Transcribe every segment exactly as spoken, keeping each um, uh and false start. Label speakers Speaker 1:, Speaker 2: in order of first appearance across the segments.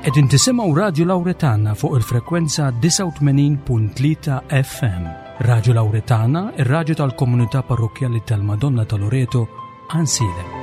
Speaker 1: Qegħdin tisimgħu Radju Lawretana fuq il-frekwenza disgħa u tmenin punt tlieta F M. Radju Lawretana, ir-radju tal-komunità parrokkjali tal-Madonna ta' Loreto, Għajnsielem.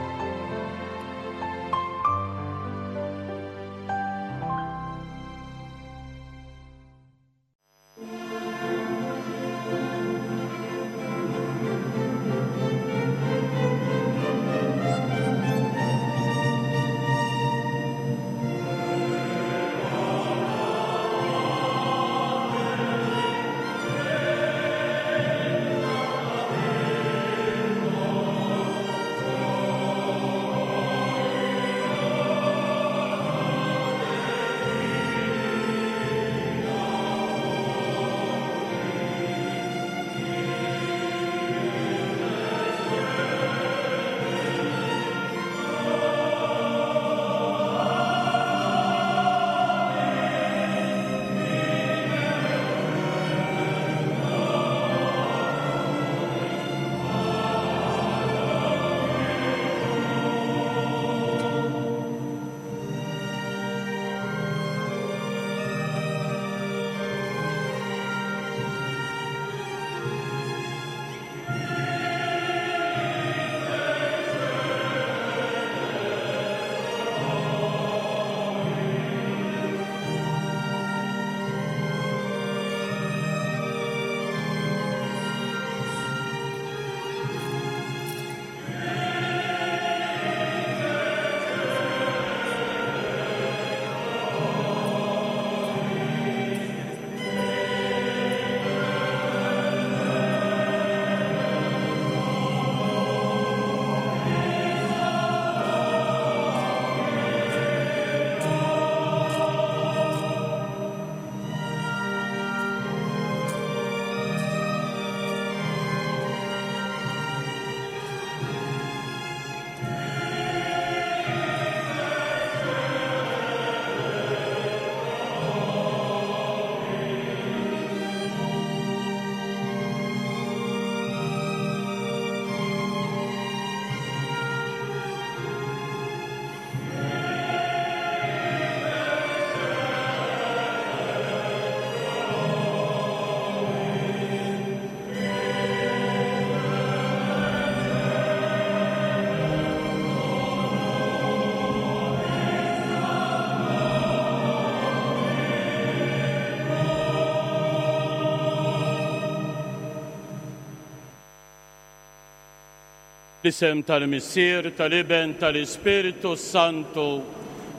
Speaker 2: L-isem tal-Missier, tal-Iben, tal-Ispirtu Santu,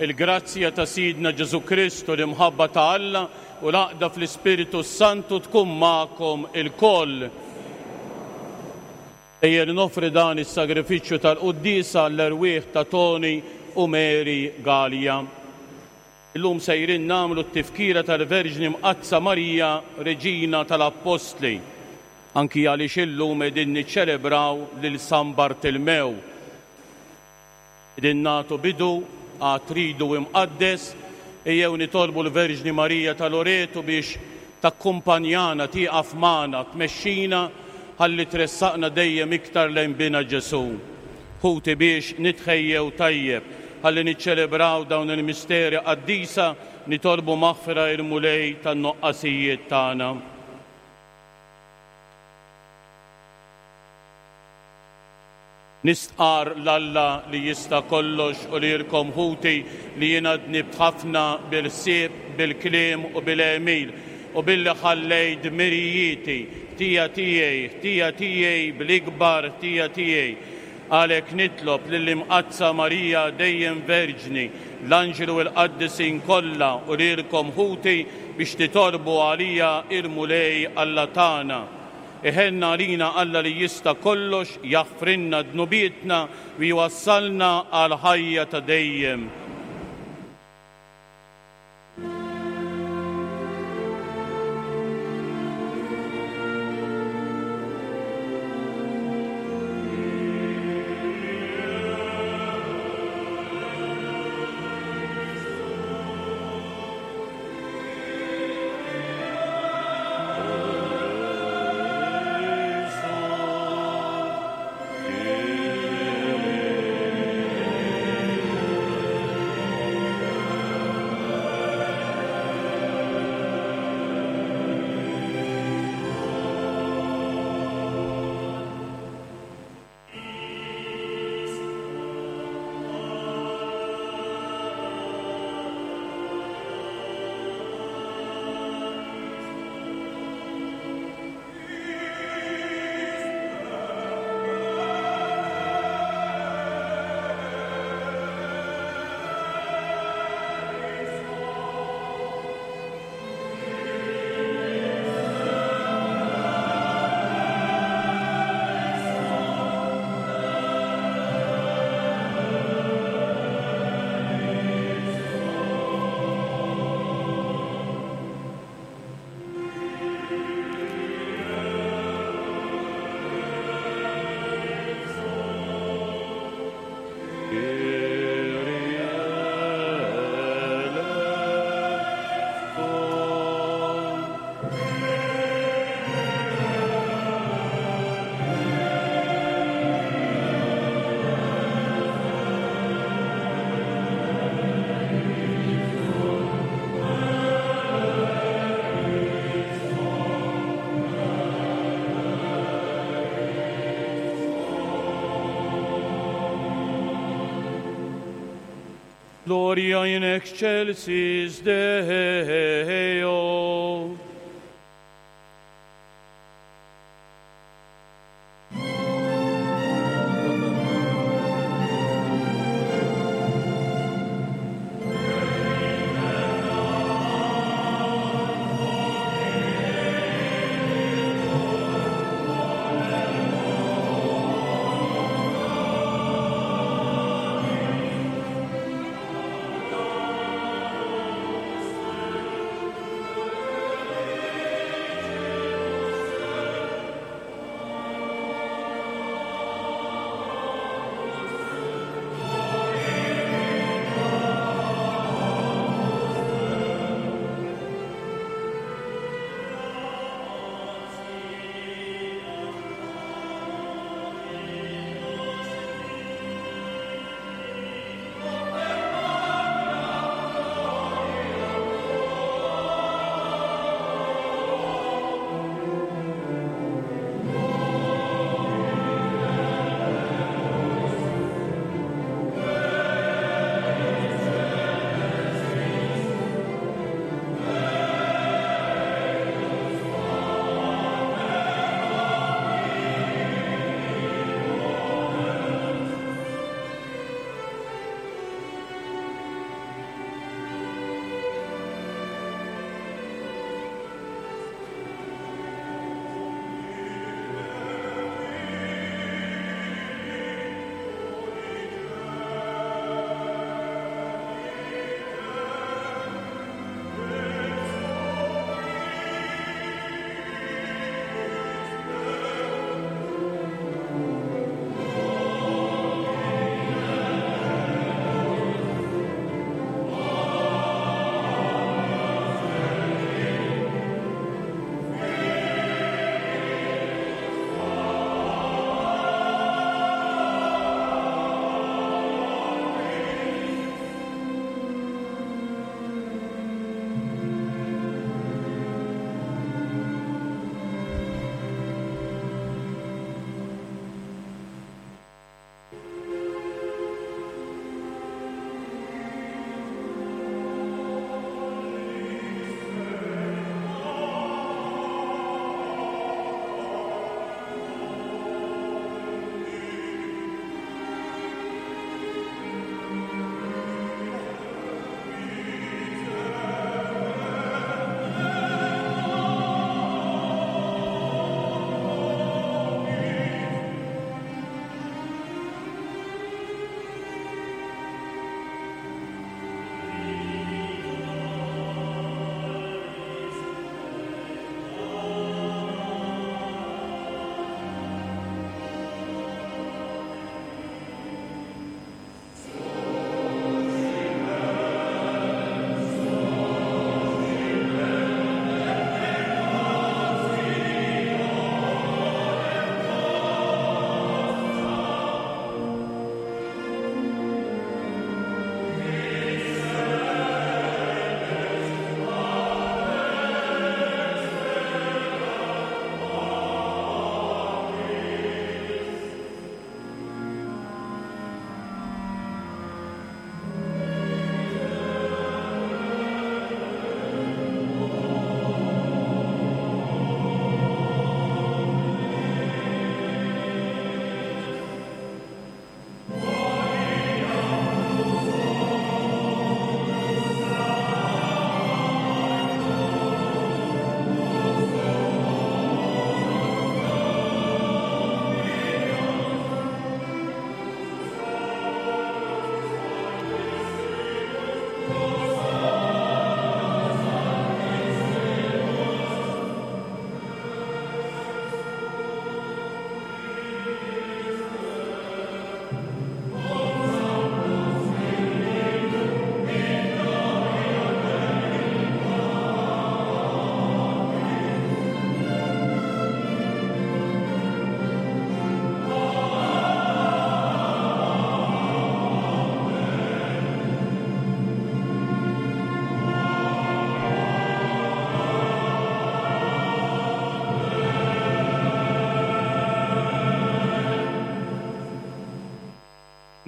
Speaker 2: il-grazzja ta' Sidna Ġesu Kristu, l-imħabba ta' Alla u l-għaqda fl-Ispirtu Santu tkun magħkom ilkoll. Ejjer nofri dan is-sagrifiċċju tal-quddiesa l-erwieħ ta' Tony u Mary Galea. Illum sejrin nagħmlu t-tifkira tal-Verġni Mqaddsa Marija, Reġina tal-Appostli. Anki għaliex illum qegħdin niċċelebraw lil San Bartilmew. Qegħdin nagħtu bidu għat-tridu imqaddes, ejjew nitolbu l-Verġni Marija ta' Loreto biex takkumpanjana, tieqaf magħna, tmexxina ħalli tressaqna dejjem iktar lejn bina Ġesu. Ħuti biex nitħejjew tajjeb ħalli niċċelebraw dawn il-misteri qaddisa, nitolbu maħfra il-Mulej tan-noqqasijiet tagħna. Nistqar l-Alla li jista' kollox u lilkom ħuti li jiena dnibt ħafna bil-ħsieb, bil-kliem u bil-għemil u billi ħallejt dmirijieti, ħtija tiegħi, ħtija tiegħi bl-ikbar ħtija tiegħi. Għalhekk nitlob lill-Imqaddsa Marija dejjem Verġni, l-Anġlu u l-Qaddisin kollha u lilkom ħuti biex titolbu għalija il-Mulej Alla tagħna. Iħenna għalina Alla li jista' kollox, jaħfrilna dnubietna u jwassalna għal ħajja ta' dejjem. Gloria in excelsis Deo.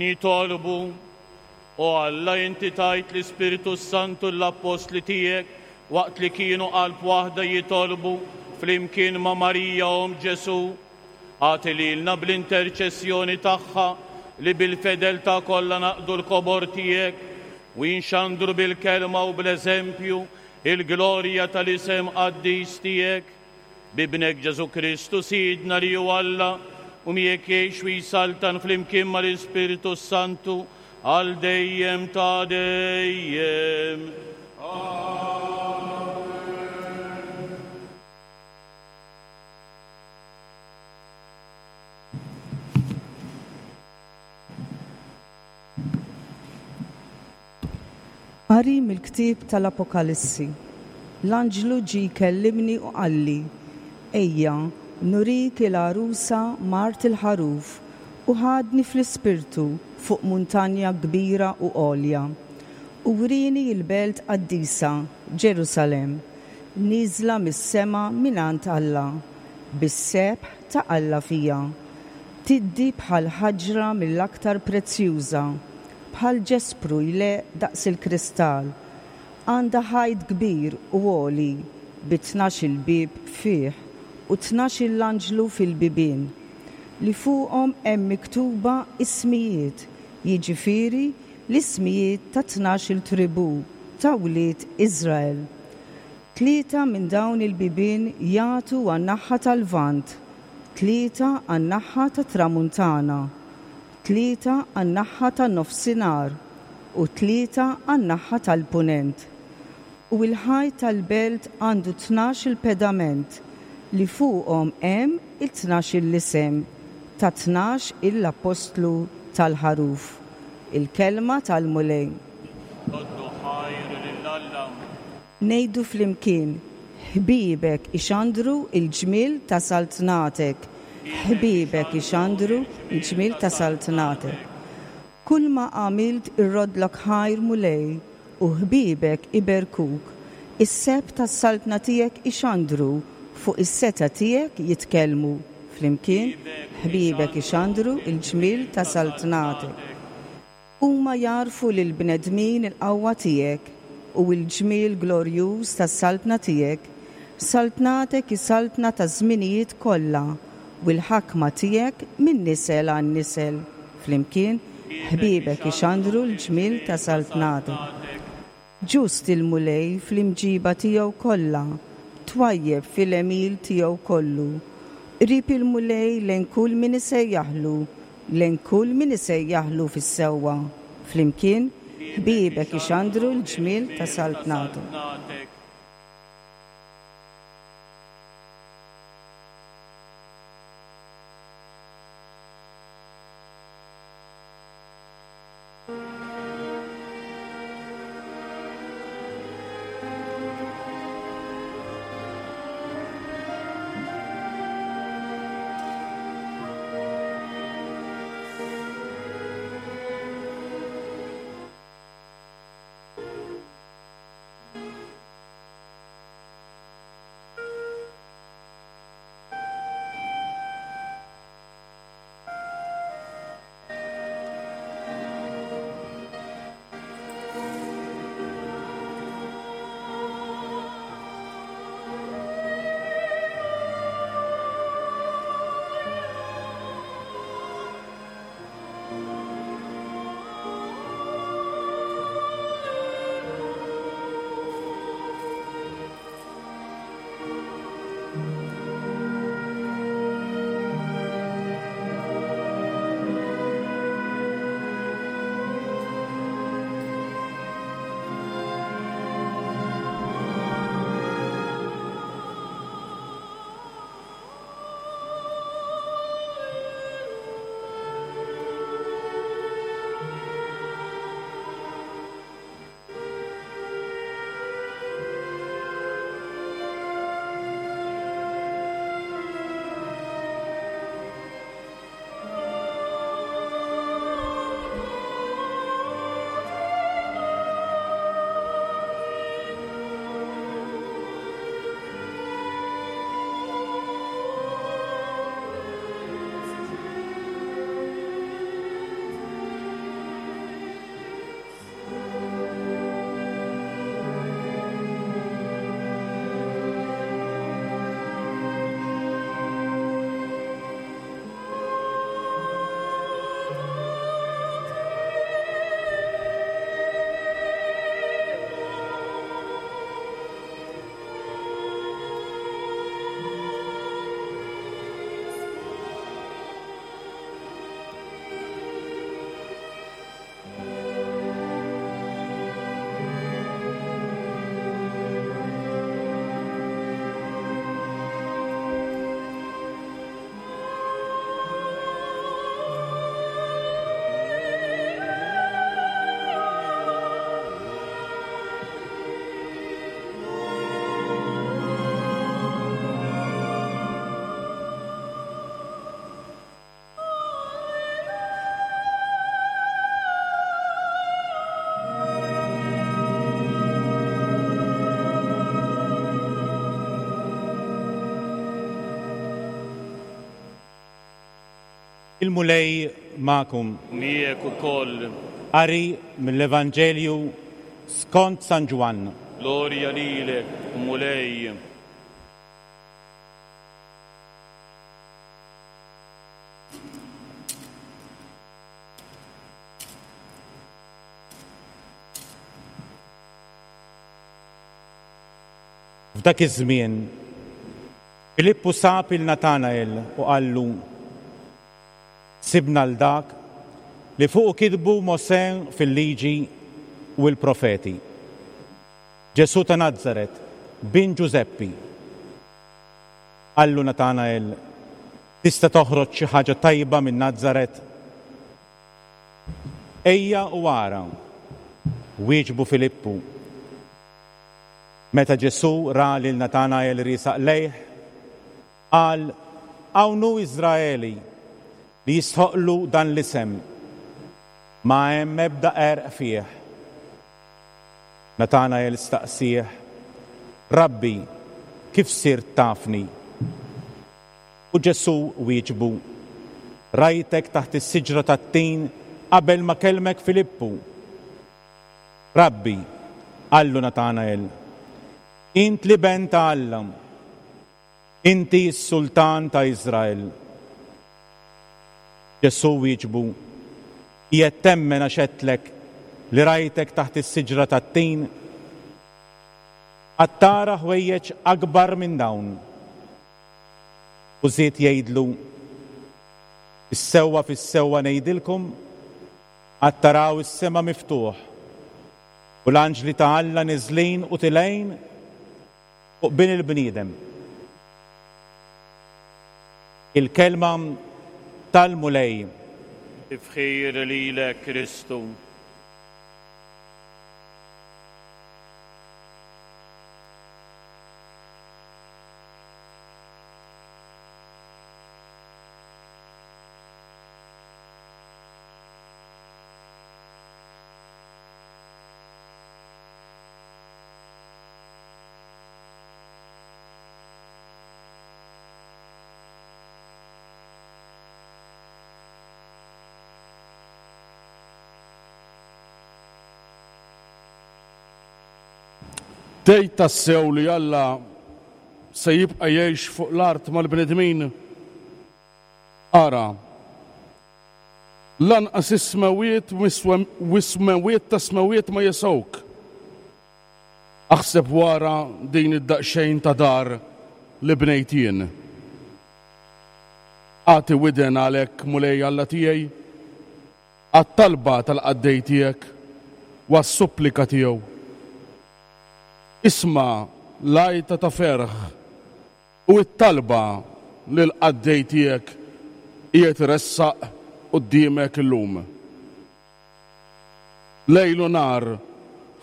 Speaker 2: Nitolbu, O Alla, inti tajt l-Ispirtu Santu l-Appostli tiegħek waqt li kienu qalb waħda jitolbu flimkien ma' Marija Omm Ġesù. Agħti lilna bl-interċessjoni tagħha li bil-fedeltà kollha naqdu l-kobor tiegħek u jinxandru bil-kelma u bl-eżempju il-glorja tal-isem qaddis tiegħek. B'Ibnek Ġesù Kristu Sidna li hu Alla u miegħek jgħix u jsaltan flimkien mal-Ispirtu Santu għal dejjem ta' dejjem.
Speaker 3: Qari mill-ktieb tal-Apokalissi. L-anġlu ġie jkellimni u qalli: Ejja, nurik il-għarusa mart il-ħaruf, u ħadni fl-ispirtu fuq muntanja kbira u għolja. U wrieni l-belt qaddisa, Ġerusalemm, nieżla mis-sema mingħand Alla, bis-sebħ ta' Alla fija. Tiddi bħal ħaġra mill-aktar prezzjuża, bħal ġespru jleq daqs il-kristall. Għandha ħajt kbir u għoli bi tnax-il bieb fih u tnax-il anġlu fil-bibien, li fuqhom hemm miktuba ismijiet, jiġifieri l-ismijiet ta' tnax-il tribù ta' wlied Iżrael. Tlieta minn dawn il-bibien jagħtu għan-naħa tal-Lvant, tlieta għan-naħa tat-Tramuntana, tlieta għan-naħa tan-nofsinhar u tlieta għan-naħa tal-Punent. U l-ħajt tal-belt għandu tnax-il pedament li fuqhom hemm it-tnax-il isem ta' tnax il-appostlu tal-ħaruf. Il-kelma tal-Mulej.
Speaker 2: Roddu ħajr lil Alla.
Speaker 3: Ngħidu flimkien: ħbiebek ixandru il-ġmiel ta' saltnatek. Ħbiebek ixandru il-ġmiel ta' saltnatek. Kull ma għamilt irrodlok ħajr Mulej, u ħbiebek iberkuk. Is-sebħ tas-saltna tiegħek ixandru, fuq is-seta tiegħek jitkellmu. Flimkien, ħbiebek ixandru il-ġmiel ta' saltnatek. Huma jarfu lil bnedmin il-qawwa tiegħek u l-ġmiel glorjuż tas-saltna tiegħek. Saltnatek hi saltna ta' żminijiet kollha, u l-ħakma tiegħek minn nisel għan nisel. Flimkien, ħbiebek ixandru l-ġmiel ta' saltnatek. Ġust il-Mulej fl-imġiba tiegħu kollha, twajjeb fil-għemil tiegħu kollu. Qrib il-Mulej lejn kull min isejjaħlu, lejn kull min isejjaħlu fis-sewwa. Flimkien, ħbiebek ixandru l-ġmiel ta' saltnatu.
Speaker 4: Il-Mulej magħkom.
Speaker 2: Miegħek ukoll.
Speaker 4: Qari mill-Evanġelju skont San Ġwann.
Speaker 2: Glorja lilek, Mulej.
Speaker 4: F'dak iż-żmien Filippu sab il Natanael u qallu: Sibna l dak li fuq kitbu Mosè fil-liġi u l-profeti. Ġesù ta' Nazaret, bin Ġużeppi. Qallu Natanael: Tista' toħroġ xi ħaġa tajba minn Nazaret? Ejja u ara, wieġbu Filippu. Meta Ġesù ra lil Natanael riesaq lejh, qal: Hawn hu Iżraeli li jistħoqlu dan l-isem, ma hemm ebda qerq fih. Natanael staqsih: Rabbi, kif sirt tafni? U Ġesù wieġbu: Rajtek taħt is-siġra tat-tin qabel ma kellmek Filippu. Rabbi, qallu Natanael, int l-iben ta' Alla, inti s-sultan ta' Iżrael. Ġesù wieġbu: Qiegħed temmen għax għedtlek li rajtek taħt is-siġra tat-tin? Għad tara ħwejjeġ akbar minn dawn. U żied jgħidlu: Fis-sewwa fis-sewwa ngħidilkom, għad taraw is-sema miftuħ u l-anġli ta' Alla niżlin u tilgħin fuq bin il-bniedem. Il-kelma tal-Mulej.
Speaker 2: Tifħir lilek, Kristu.
Speaker 5: Tgħid tassew li Alla se jibqa' jgħix fuq l-art mal-bnedmin? Ara, lanqas is-smewiet u s-smewiet ta' smewiet ma jesgħuk. Aħseb wara din id-daqsxejn ta' dar li bnejt jien. Agħti widen għalhekk, Mulej Alla tiegħi, għat-talba tal-qaddej tiegħek u għas-supplika tiegħu. Isma' l-għajta ta' ferħ u t-talba li l-qaddej tiegħek qiegħed iressaq quddiemek illum. Lejl u nhar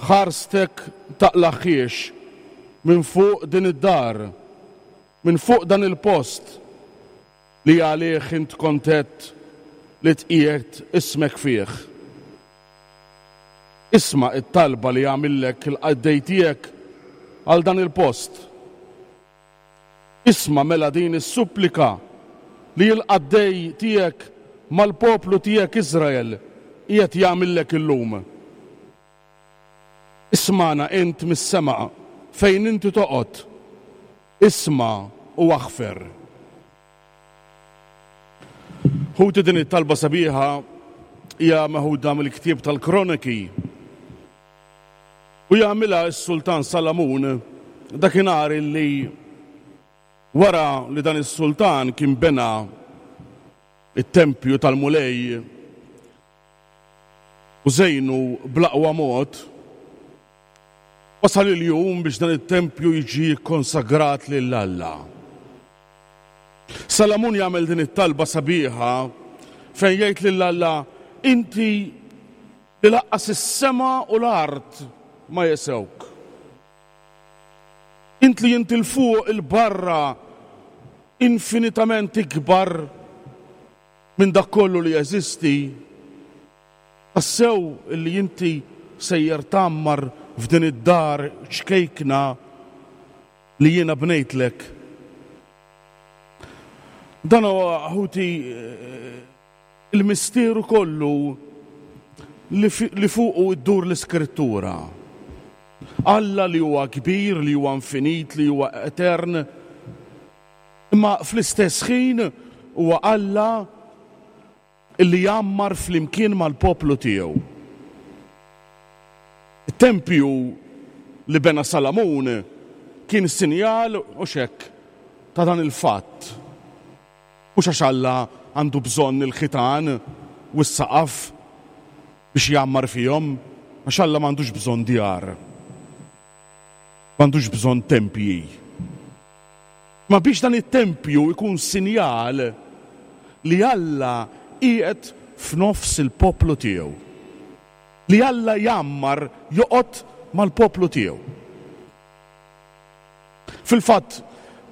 Speaker 5: ħarstek taqlaħħiex minn fuq din id-dar, minn fuq dan il-post li għalih int kontent li tqiegħed ismek fih. Isma' it-talba li għamillek il-qaddej tiegħek għal dan il-post. Isma' mela din is-supplika li l-qaddej tiegħek mal-poplu tiegħek Iżrael qiegħed jagħmillek illum. Ismana int mis-sema fejn inti toqgħod. Isma' u aħfer. Ħuti, din it-talba sabiħa hija meħuda mill-ktieb tal-Kroniki. U jagħmilha s-Sultan Salamun dakinhar illi wara li dan is-sultan kien bena it-tempju tal-Mulej u żejnu bl-aqwa mod, wasal il-jum biex dan it-tempju jiġi konsagrat lil Alla. Salamun jagħmel din it-talba sabiħa fejn jgħid lil Alla: inti li laqqas is-sema u l-art ma jesewk. Int li inti l-fuq il-barra infinitament ikbar minn dak kollu li jeżisti, tassew li inti sejjer tgħammar f'din id-dar ċkejkna li jiena bnejtlek. Dan huwa, ħuti, Il-misteru kollu li, li fuqu iddur l-Iskrittura. Alla li huwa kbir, li huwa infinit, li huwa etern, imma fl-istess ħin huwa Alla illi jgħammar flimkien mal-poplu tiegħu. It-tempju li bena Salamun kien sinjal u xek ta' dan il-fatt. Mhux għax Alla għandu bżonn il-ħitan u s-saqaf biex jgħammar fihom, għax Alla m'għandux bżonn djar. M'għandux bżonn tempji. Ma biex dan it-tempju jkun sinjal li Alla qiegħed f'nofs il-poplu tiegħu. Li Alla jgħammar joqgħod mal-poplu tiegħu. Fil-fatt,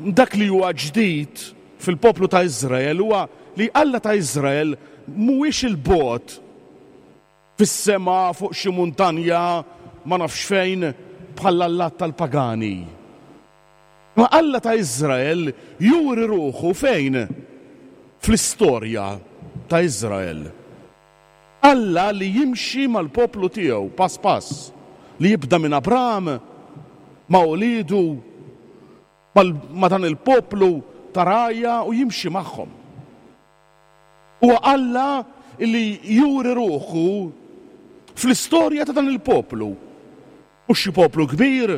Speaker 5: dak li huwa ġdid fil-poplu ta' Iżrael huwa li Alla ta' Iżrael mhuwiex il-bogħod fis-sema fuq xi muntanja ma nafx fejn bħall-allat tal-pagani. Ma Alla ta' Iżrael juri ruħu fejn? Fl-istorja ta' Iżrael. Alla li jimxi mal-poplu tiegħu pass pass, li jibda minn Abram ma' ulidu ma' dan il-poplu ta' rgħajja u jimxi magħhom. Huwa Alla li juri ruħu fl-istorja ta' dan il-poplu. Mhux xi poplu kbir,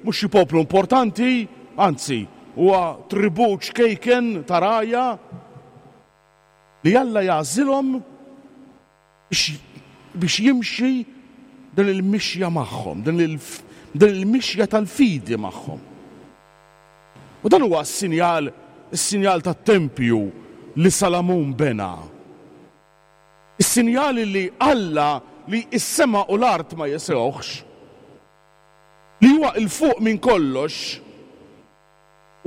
Speaker 5: mhux xi poplu importanti, anzi, huwa tribù ċkejken ta' rgħajja li Alla jagħżilhom biex jimxi din il-mixja magħhom, din il-mixja tal-fidi magħhom. U dan huwa s-sinjal, is-sinjal tat-tempju li Salamun bena. Is-sinjal li Alla li s-sema u l-art ma jesewħx, li huwa 'l fuq minn kollox,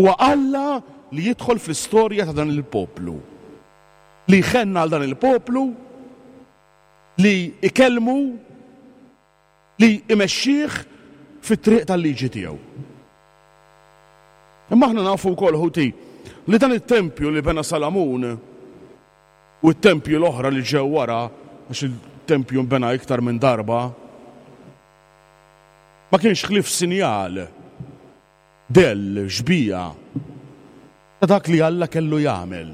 Speaker 5: huwa Alla li jidħol fl-istorja ta' dan il-poplu, li jħenna għal dan il-poplu, li ikellmu, li imexxih fit-triq tal-liġi tiegħu. Imma aħna nafu wkoll, ħuti, li dan it-tempju li bena Salamun u t-tempju l-oħra li ġew wara, għax il-tempju nbena iktar minn darba, ma kienx ħlief sinjal, dell, xbija ta' dak li Alla kellu jagħmel.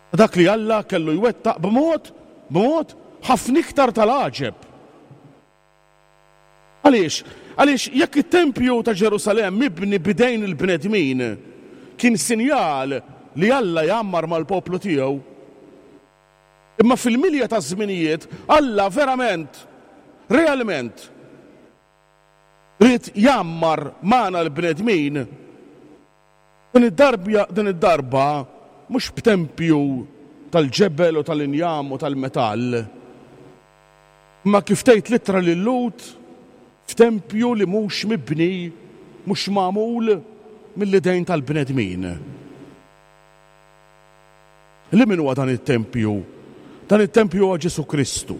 Speaker 5: Ta' dak li Alla kellu jwettaq b'mod, b'mod ħafna iktar tal-għaġeb. Għaliex? Għaliex jekk it-tempju ta' Ġerusalemm mibni bidejn il-bnedmin kien sinjal li Alla jgħammar mal-poplu tiegħu, imma fil-milja ta' żminijiet Alla verament, realment, ried jgħammar magħna l-bnedmin. Din id-darba, din id-darba mhux b'tempju tal-ġebel u tal-injam u tal-metall, imma kif tgħid l-ittra lil Lut, f'tempju li mhux mibni, mhux magħmul mill-idejn tal-bnedmin. Li min huwa dan it-tempju? Dan it-tempju huwa Ġesù Kristu.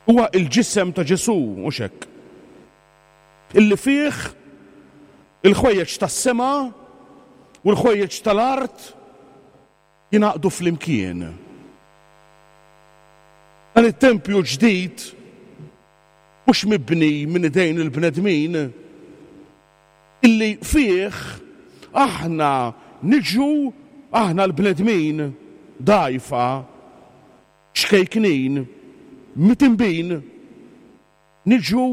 Speaker 5: Huwa il-ġisem ta' Ġesù, mhux hekk? Illi fih il-ħwejjeġ tas-sema u l-ħwejjeġ tal-art jingħaqdu flimkien. Dan it-tempju ġdid mhux mibni minn idejn il-bnedmin, illi fih aħna niġu, aħna l-bnedmin dgħajfa, xkejknin, mitimbin, niġu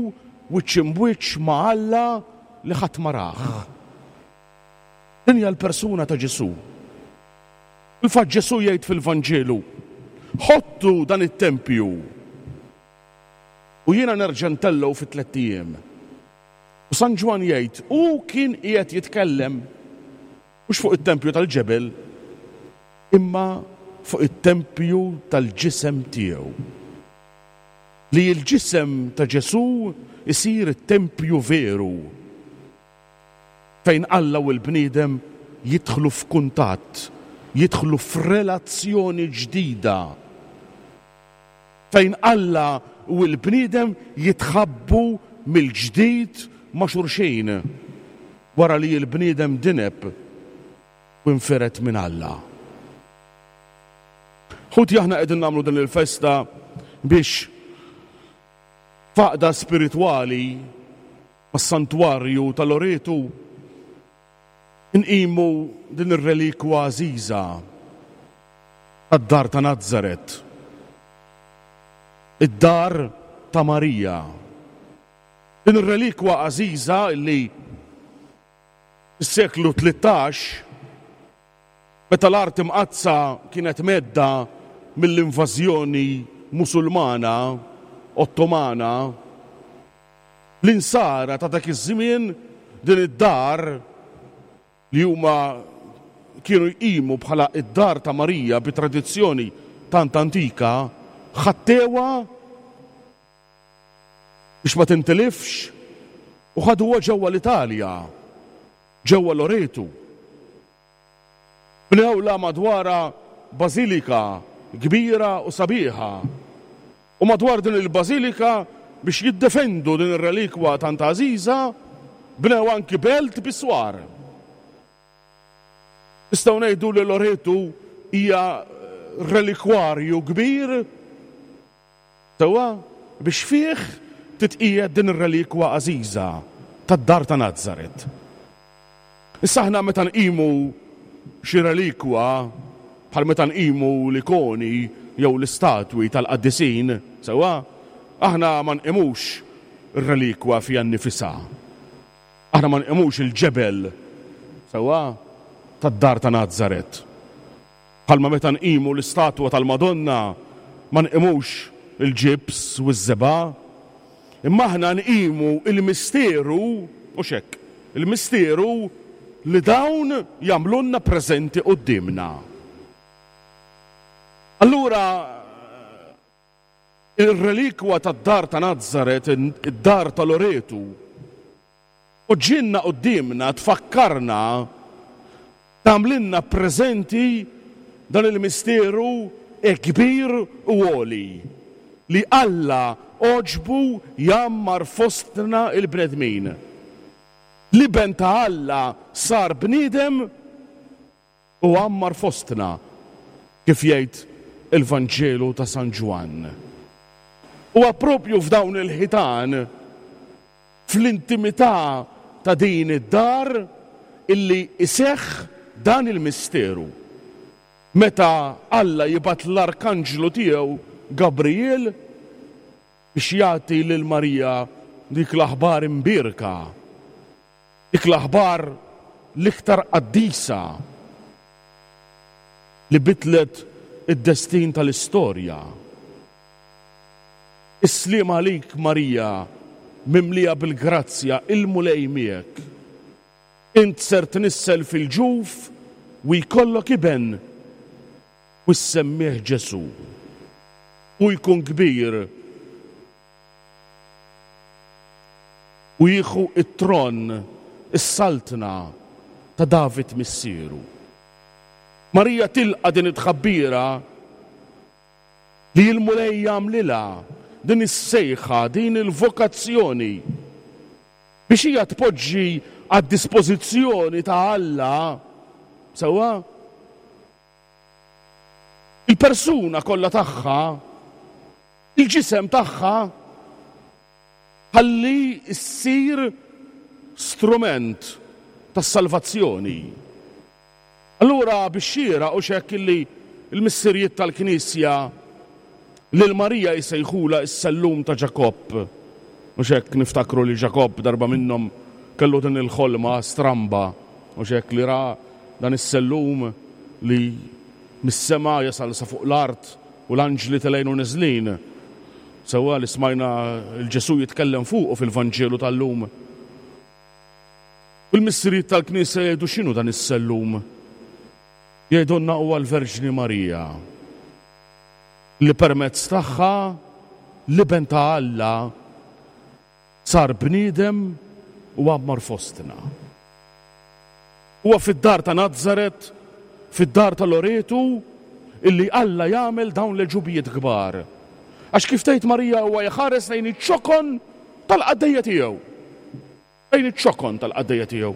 Speaker 5: wiċċ imbwiċċ ma' Alla li ħadd ma rah. Din hija l-persuna ta' Ġesù. Il-fatt Ġesù jgħid fil-Vanġelu, ħottu dan it-tempju u jiena nerġa' ntellgħu fi tlett ijiem. U San Ġwann jgħid, hu kien qiegħed jitkellem mhux fuq it-tempju tal-ġebel, imma fuq it-tempju tal-ġisem tiegħu. Li l-ġisem ta' Ġesù isir it-tempju veru fejn Alla u l-bniedem jidħlu f'kuntatt, jidħlu f'relazzjoni ġdida, fejn Alla u l-bniedem jitħabbu mill-ġdid ma' xulxin wara li l-bniedem dineb u infiret minn Alla. Ħuti, aħna qegħdin nagħmlu din il-festa biex f'għaqda spiritwali mas-santwarju ta' Loretu nqimu din ir-relikwa għażiża tad-dar ta' Nazaret, id-dar ta' Marija. Din ir-relikwa għażiża li fis-seklu tlettax, meta l-art imqaddsa kienet medda mill-invażjoni Musulmana Ottomana, l-insara ta' dak iż-żmien din id-dar li huma kienu jqimu bħala id-dar ta' Marija bi tradizzjoni tant antika, ħattewha biex ma tintilifx u ħaduha ġewwa l-Italja, ġewwa Loretu. Bnewla madwarha bażilika kbira u sabiħa. U madwar din il-bażilika, biex jiddefendu din ir-relikwa tant għażiża, bnew anki belt biswar. Nistgħu ngħidu li Loretu hija relikwarju kbir sewwa biex fih titqiegħed din ir-relikwa għażiża tad-dar ta' Nazaret. Issa aħna meta nqimu xi relikwa, bħal meta nqimu l-ikoni jew l-istatwi tal-qaddisin, sewwa, aħna ma nqimux ir-relikwa fiha nnifisha. Aħna ma nqimux il-ġebel, sewwa, tad-dar ta' Nazaret. Bħalma meta nqimu l-istatwa tal-Madonna ma nqimux il-ġibs u ż-żebgħa, imma aħna nqimu il-misteru, u xek, il-misteru li dawn jagħmlulna preżenti quddiemna. Allura il-relikwa tad-dar ta' Nazaret, id-dar ta' Loretu, poġġinna quddiemna, tfakkarna, tagħmlilna preżenti dan il-misteru kbir u għoli li Alla għoġbu jgħammar fostna il-bnedmin. L-Iben ta' Alla sar bniedem u għammar fostna, kif jgħid il-Vanġelu ta' San Ġwann. Huwa propju f'dawn il-ħitan, fl-intimità ta' din id-dar, illi iseħħ dan il-misteru. Meta Alla jibgħat l-arkanġlu tiegħu Gabriel biex jagħti lil Marija dik l-aħbar imbierka, dik l-aħbar l-iktar qaddisa li bidlet id-destin tal-istorja. Is-sliem għalik Marija, mimlija bil-grazzja, il-Mulej miegħek. Int ser tnissel fil-ġuf u jkollok iben u ssemmih Ġesù. U jkun kbir u jieħu it-tron, is-saltna ta' David missieru. Marija tilqa' din it-tħabbira li l-Mulej jagħmlilha, din is-sejħa, din il-vokazzjoni biex hija tpoġġi għad-dispożizzjoni ta' Alla, sewwa, il-persuna kollha tagħha, il-ġisem tagħha, ħalli ssir strument tas-salvazzjoni. Allura biex xieraq u x'hekk illi l-missirijiet tal-Knisja lil Marija jsejħulha s-sellum ta' Ġakobb. U x'hekk niftakru li Ġakobb darba minnhom kellu din il-ħolma stramba, u x'hekk li ra dan is-sellum li mis-sema jasal sa fuq l-art u l-anġli telgħin u neżlin. Sewwa li smajna l-Ġesù jitkellem fuqu fil-Vanġelu tal-lum. U l-missirijiet tal-Knisja jgħidu x'inhu dan is-sellum? Jgħidulna huwa l-Verġni Marija, li permezz tagħha l-Iben ta' Alla sar bniedem u għammar fostna. Huwa fid-dar ta' Nazaret, fid-dar ta' Loretu, illi Alla jagħmel dawn l-għeġubijiet kbar. Għax kif tgħid Marija huwa jħares lejn iċ-ċokon tal-qaddejja tiegħu. Lejn iċ-ċokon tal-qaddejja tiegħu.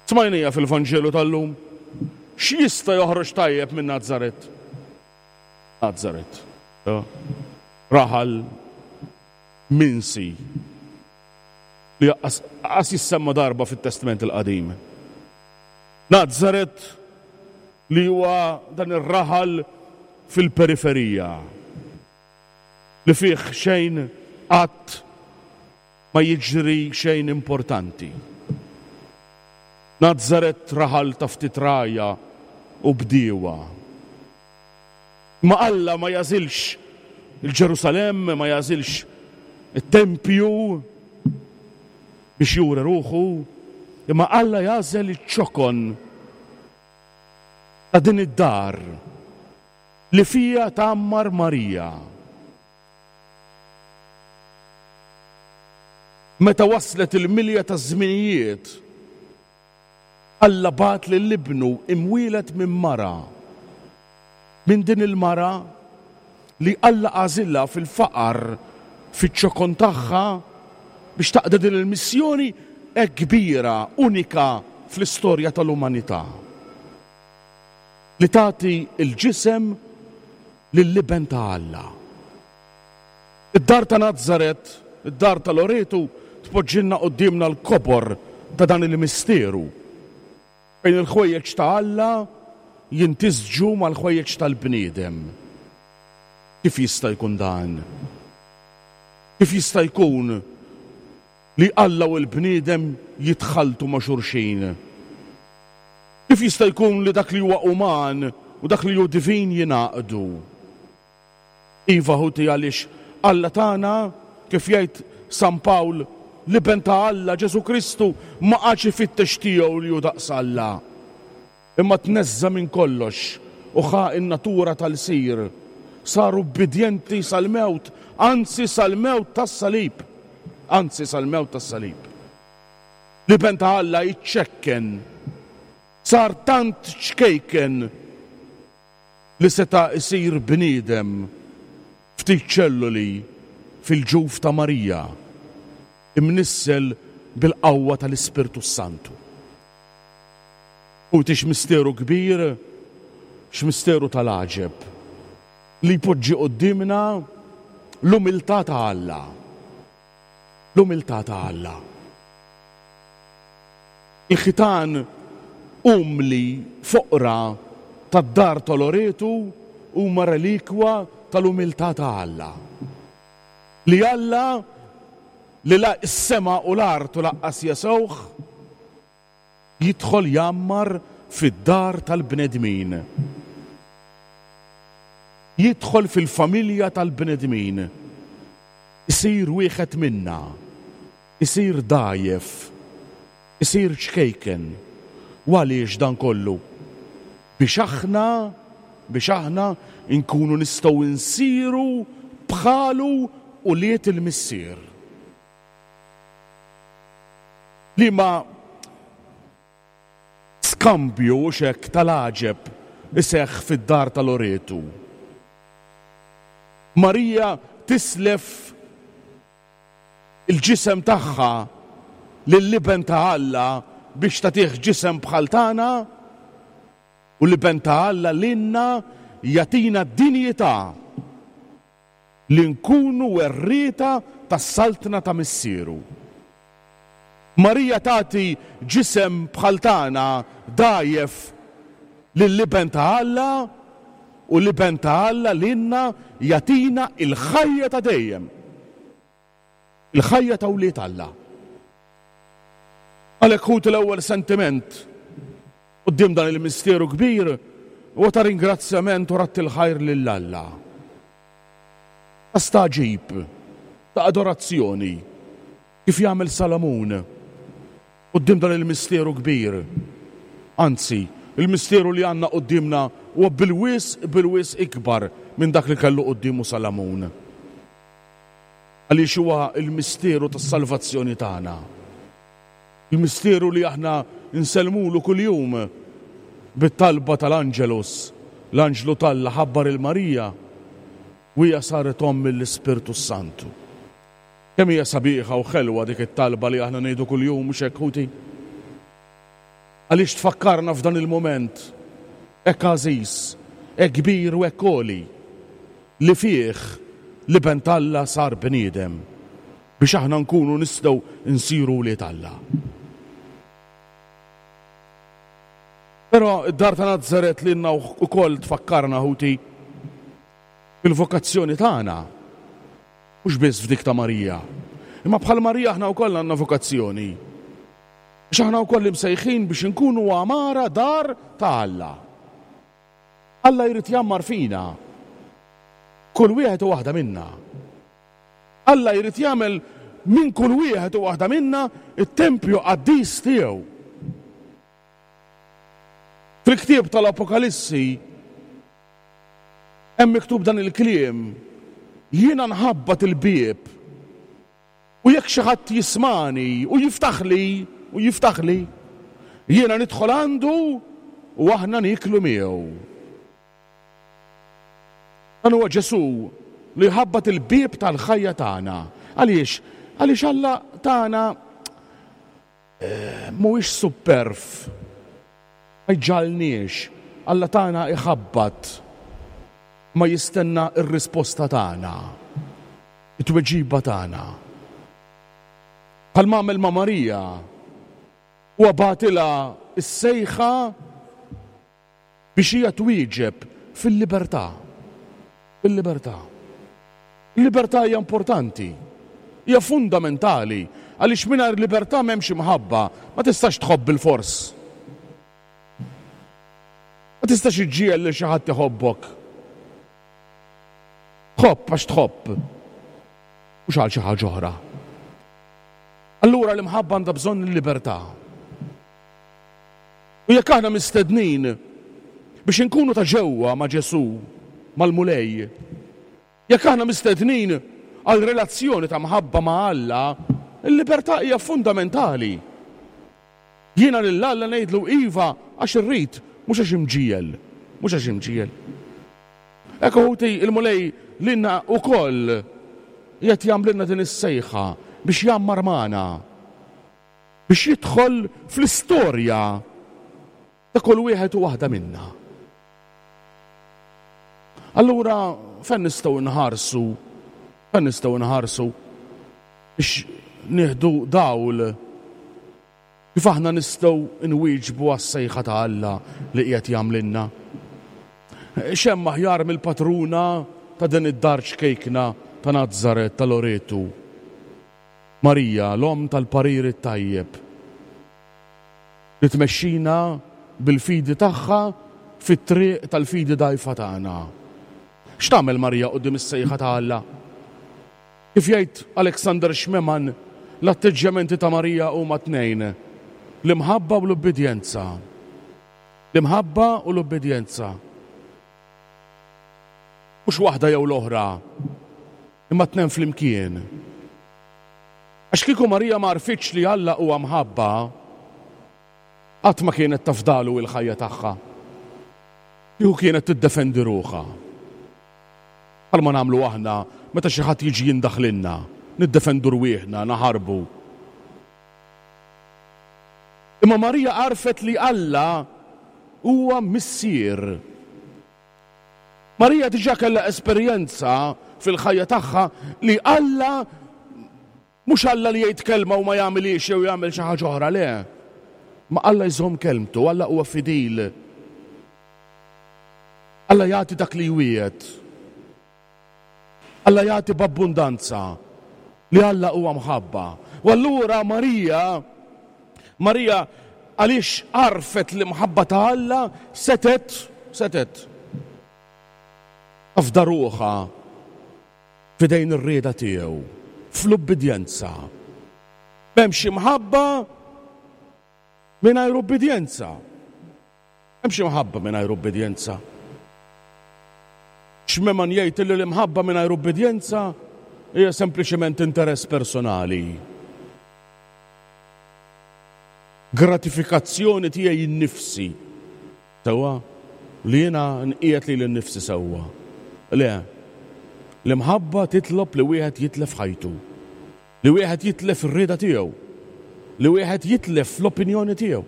Speaker 5: Smajnija fil-Vanġelu tal-lum. X'jista' joħroġ tajjeb minn Nazaret? Nazaret. Raħal minsi li qas jissemma darba fit-Testament il-Qadim. Nazaret li huwa dan ir-raħal fil-periferija li fih xejn qatt ma jiġri xejn importanti. Nazaret raħal ta' ftit rgħajja u bdiewa. Ma Alla ma jażilx il-Ġerusalemm, ma jażilx it-tempju biex juri ruħu, imma Alla jażel iċ-ċokon ta' din id-dar li fija tgħammar Marija. Meta waslet il-milja taż-żminijiet, Alla bagħat lil ibnu imwieled minn mara. Minn din il-mara li Alla għażilha fil-faqar, fiċ-ċokon tagħha biex taqda din il-missjoni hekk kbira, unika fl-istorja tal-umanità. Li tagħti l-ġisem lill-iben ta' Alla. Id-dar ta' Nazaret, id-dar ta' Loretu, tpoġġilna quddiemna l-kobor ta' dan il-misteru. Fejn il-ħwejjeġ ta' Alla jintisġu mal-ħwejjeġ tal-bniedem. Kif jista' jkun dan? Kif jista' jkun li Alla u l-bniedem jitħaltu ma' xulxin? Kif jista' jkun li dak li huwa uman u dak li hu divin jingħaqdu? Iva ħuti, għaliex Alla tagħna, kif jgħid San Pawl, l-iben ta' Alla Ġesu Kristu ma qagħadx ifittex tiegħu li hu daqs Alla, imma tneżża minn kollox u ħa n-natura tal-sir. Saru ubbidjenti sal-mewt, anzi sal-mewt tas-salib, anzi sal-mewt tas-salib. L-iben ta' Alla jiċċekken, sar tant ċkejken li seta' isir bniedem ftit ċelluli fil-ġuf ta' Marija, imnissel bil-qawwa tal-Ispirtu Santu. U tix misteru kbir, x'misteru tal-għaġeb, li jpoġġi quddiemna l-umiltà ta' Alla. L-umiltà ta' Alla. Il-ħitan umli foqra tad-dar ta' Loretu huma relikwa tal-umiltà ta' Alla. Li Alla li la s-sema u l-art u laqqas jesewh, jidħol jammar fid-dar tal-bnedmin. Jidħol fil-familja tal-bnedmin. Isir wieħed minna. Isir dgħajjef. Isir ċkejken. U għaliex dan kollu? Biex aħna, biex aħna nkunu nistgħu nsiru bħalu ulied il-Missier. Li ma skambju u xek tal-għaġeb iseħħ fid-dar ta' Loretu. Marija tislef il-ġisem tagħha lill-iben ta' Alla biex tagħtih ġisem bħal tagħna, u l-iben ta' Alla lilna jagħtina d-dinjità li nkunu werrieta tas-saltna ta' Missieru. Marija tagħti ġisem bħal tagħna dgħajjef lill-iben ta' Alla, u l-iben ta' Alla lilna jagħtina il-ħajja ta' dejjem. Il-ħajja ta' wlied Alla. Għalhekk ħut l-ewwel sentiment quddiem dan il-misteru kbir huwa ta' ringrazzjament u ratt il-ħajr lil Alla. Ta' stagħġib, ta' adorazzjoni, kif jagħmel Salamun quddiem dan il-misteru kbir. Anzi, il-misteru li għandna quddiemna huwa bil-wisq, bil-wisq ikbar minn dak li kellu quddiemu Salamun. Għaliex huwa il-misteru tas-salvazzjoni tagħna. Il-misteru li aħna nsellmulu kuljum bit-talba tal-Angelus, l-Anġlu t'Alla ħabbar il-Marija u hija saret omm mill-Ispirtu Santu. Kemm hija sabiħa u ħelwa dik it-talba li aħna ngħidu kuljum, mhux hekk ħuti? Għaliex tfakkarna f'dan il-moment hekk għażiż, hekk kbir u hekk għoli, li fih l-Iben t'Alla sar bniedem biex aħna nkunu nistgħu nsiru wlied Alla. Però id-dar ta' Nazaret lilna wkoll tfakkarna, ħuti, fil-vokazzjoni tagħna, mhux biss f'dik ta' Marija. Imma bħal Marija aħna wkoll għandna vokazzjoni. Għax aħna wkoll imsejħin biex inkunu għamara dar ta' Alla. Alla jrid jgħammar fina, kull wieħed u waħda minna. Alla jrid jagħmel minn kull wieħed u waħda minna it-tempju qaddis tiegħu. Fil-ktieb tal-Apokalissi hemm miktub dan il-kliem: jiena nħabbat il-bieb u jekk xi ħadd jismani u jiftaħli u jiftaħli, jiena nidħol għandu u aħna nieklu miegħu. Dan huwa Ġesù li jħabbat il-bieb tal-ħajja tagħna. Għaliex? Għaliex Alla tagħna mhuwiex superf, ma jġalniex. Alla tagħna iħabbat, ma jistenna r-risposta tagħna, it-tweġiba tagħna. Bħalma għamel ma' Marija, huwa bagħtilha s-sejħa biex hija twieġeb fil-libertà. Fil-libertà. Il-libertà hija importanti, hija fundamentali, għaliex mingħajr libertà m'hemmx imħabba, ma tistax tħobb bil-fors. Ma tistax iġġiegħel lil xi ħadd iħobbok. Tħobb għax tħobb, mhux għal xi ħaġa oħra. Allura l-imħabba għandha bżonn il-libertà. U jekk aħna mistednin biex inkunu ta' ġewwa ma' Ġesù, mal-Mulej, jekk aħna mistednin għal relazzjoni ta' mħabba ma' Alla, il-libertà hija fundamentali. Jiena lil Alla ngħidlu iva għax irrid, mhux għax imġiegħel, mhux għax imġiegħel. Hekk ħuti, il-Mulej lilna wkoll qed jagħmlilna din is-sejħa biex jgħammar magħna, biex jidħol fl-istorja ta' kull wieħed u waħda minna. Allura fejn nistgħu nħarsu, fejn nistgħu nħarsu biex nieħdu dawl kif aħna nistgħu nwieġbu għas-sejħa ta' Alla li qiegħed jagħmlilna. X'hemm aħjar mill-patruna ta' din id-dar ċkejkna ta' Nazaret ta' Loretu, Marija, l-omm tal-parir it-tajjeb, li tmexxina bil-fidi tagħha fit-triq tal-fidi dgħajfa tagħna. X'tagħmel Marija quddiem is-sejħa ta' Alla? Kif jgħid Alexander Schmemann, l-atteġġjamenti ta' Marija huma tnejn: l-imħabba u l-ubbidjenza. L-imħabba u l-ubbidjenza. Mhux waħda jew l-oħra, imma tnejn flimkien. Għax kieku Marija ma għarfitx li Alla huwa mħabba, qatt ma kienet tafdalu il-ħajja tagħha. Kieku kienet tiddefendi ruħha. Bħalma nagħmlu aħna meta xi ħadd jiġi jindaħlilna, niddefendu rwieħna, naħarbu. Imma Marija għarfet li Alla huwa missier. Marija diġà kellha esperjenza fil-ħajja tagħha li Alla mhux Alla li jgħid kelma u ma jagħmilhiex jew jagħmel xi ħaġa oħra, le. Ma Alla jżomm kelmtu, Alla huwa fidil. Alla jagħti dak li jwiegħed. Alla jagħti b'abbundanza, li Alla huwa mħabba. U allura Marija, Marija għaliex għarfet l-imħabba ta' Alla, setet, setet tafda ruħha f'idejn ir-rieda tiegħu, fl-ubbidjenza. M'hemmx imħabba mingħajr ubbidjenza. M'hemmx imħabba mingħajr ubbidjenza. Schmemann jgħid li l-imħabba mingħajr ubbidjenza hija sempliċement interess personali. Gratifikazzjoni tiegħi nnifsi. Sewwa li jiena nqiegħed lili nnifsi sewwa. Le, l-imħabba titlob li wieħed jitlef ħajtu, li wieħed jitlef ir-rieda tiegħu, li wieħed jitlef l-opinjoni tiegħu.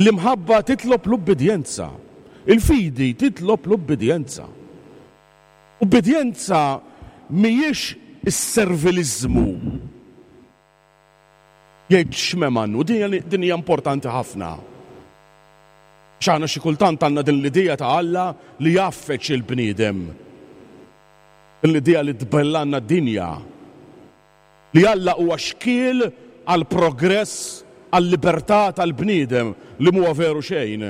Speaker 5: L-imħabba titlob l-ubbidjenza. Il-fidi titlob l-ubbidjenza. Ubbidjenza mhijiex is-serviliżmu. Jgħid x'meman, u din hija importanti ħafna. X'aħna xi kultant għandna din l-idea ta' Alla li jaffeċ il-bniedem. Din l-idea li tbellanna d-dinja. Li Alla huwa xkiel għal progress, għal libertà tal-bniedem li mhuwa veru xejn.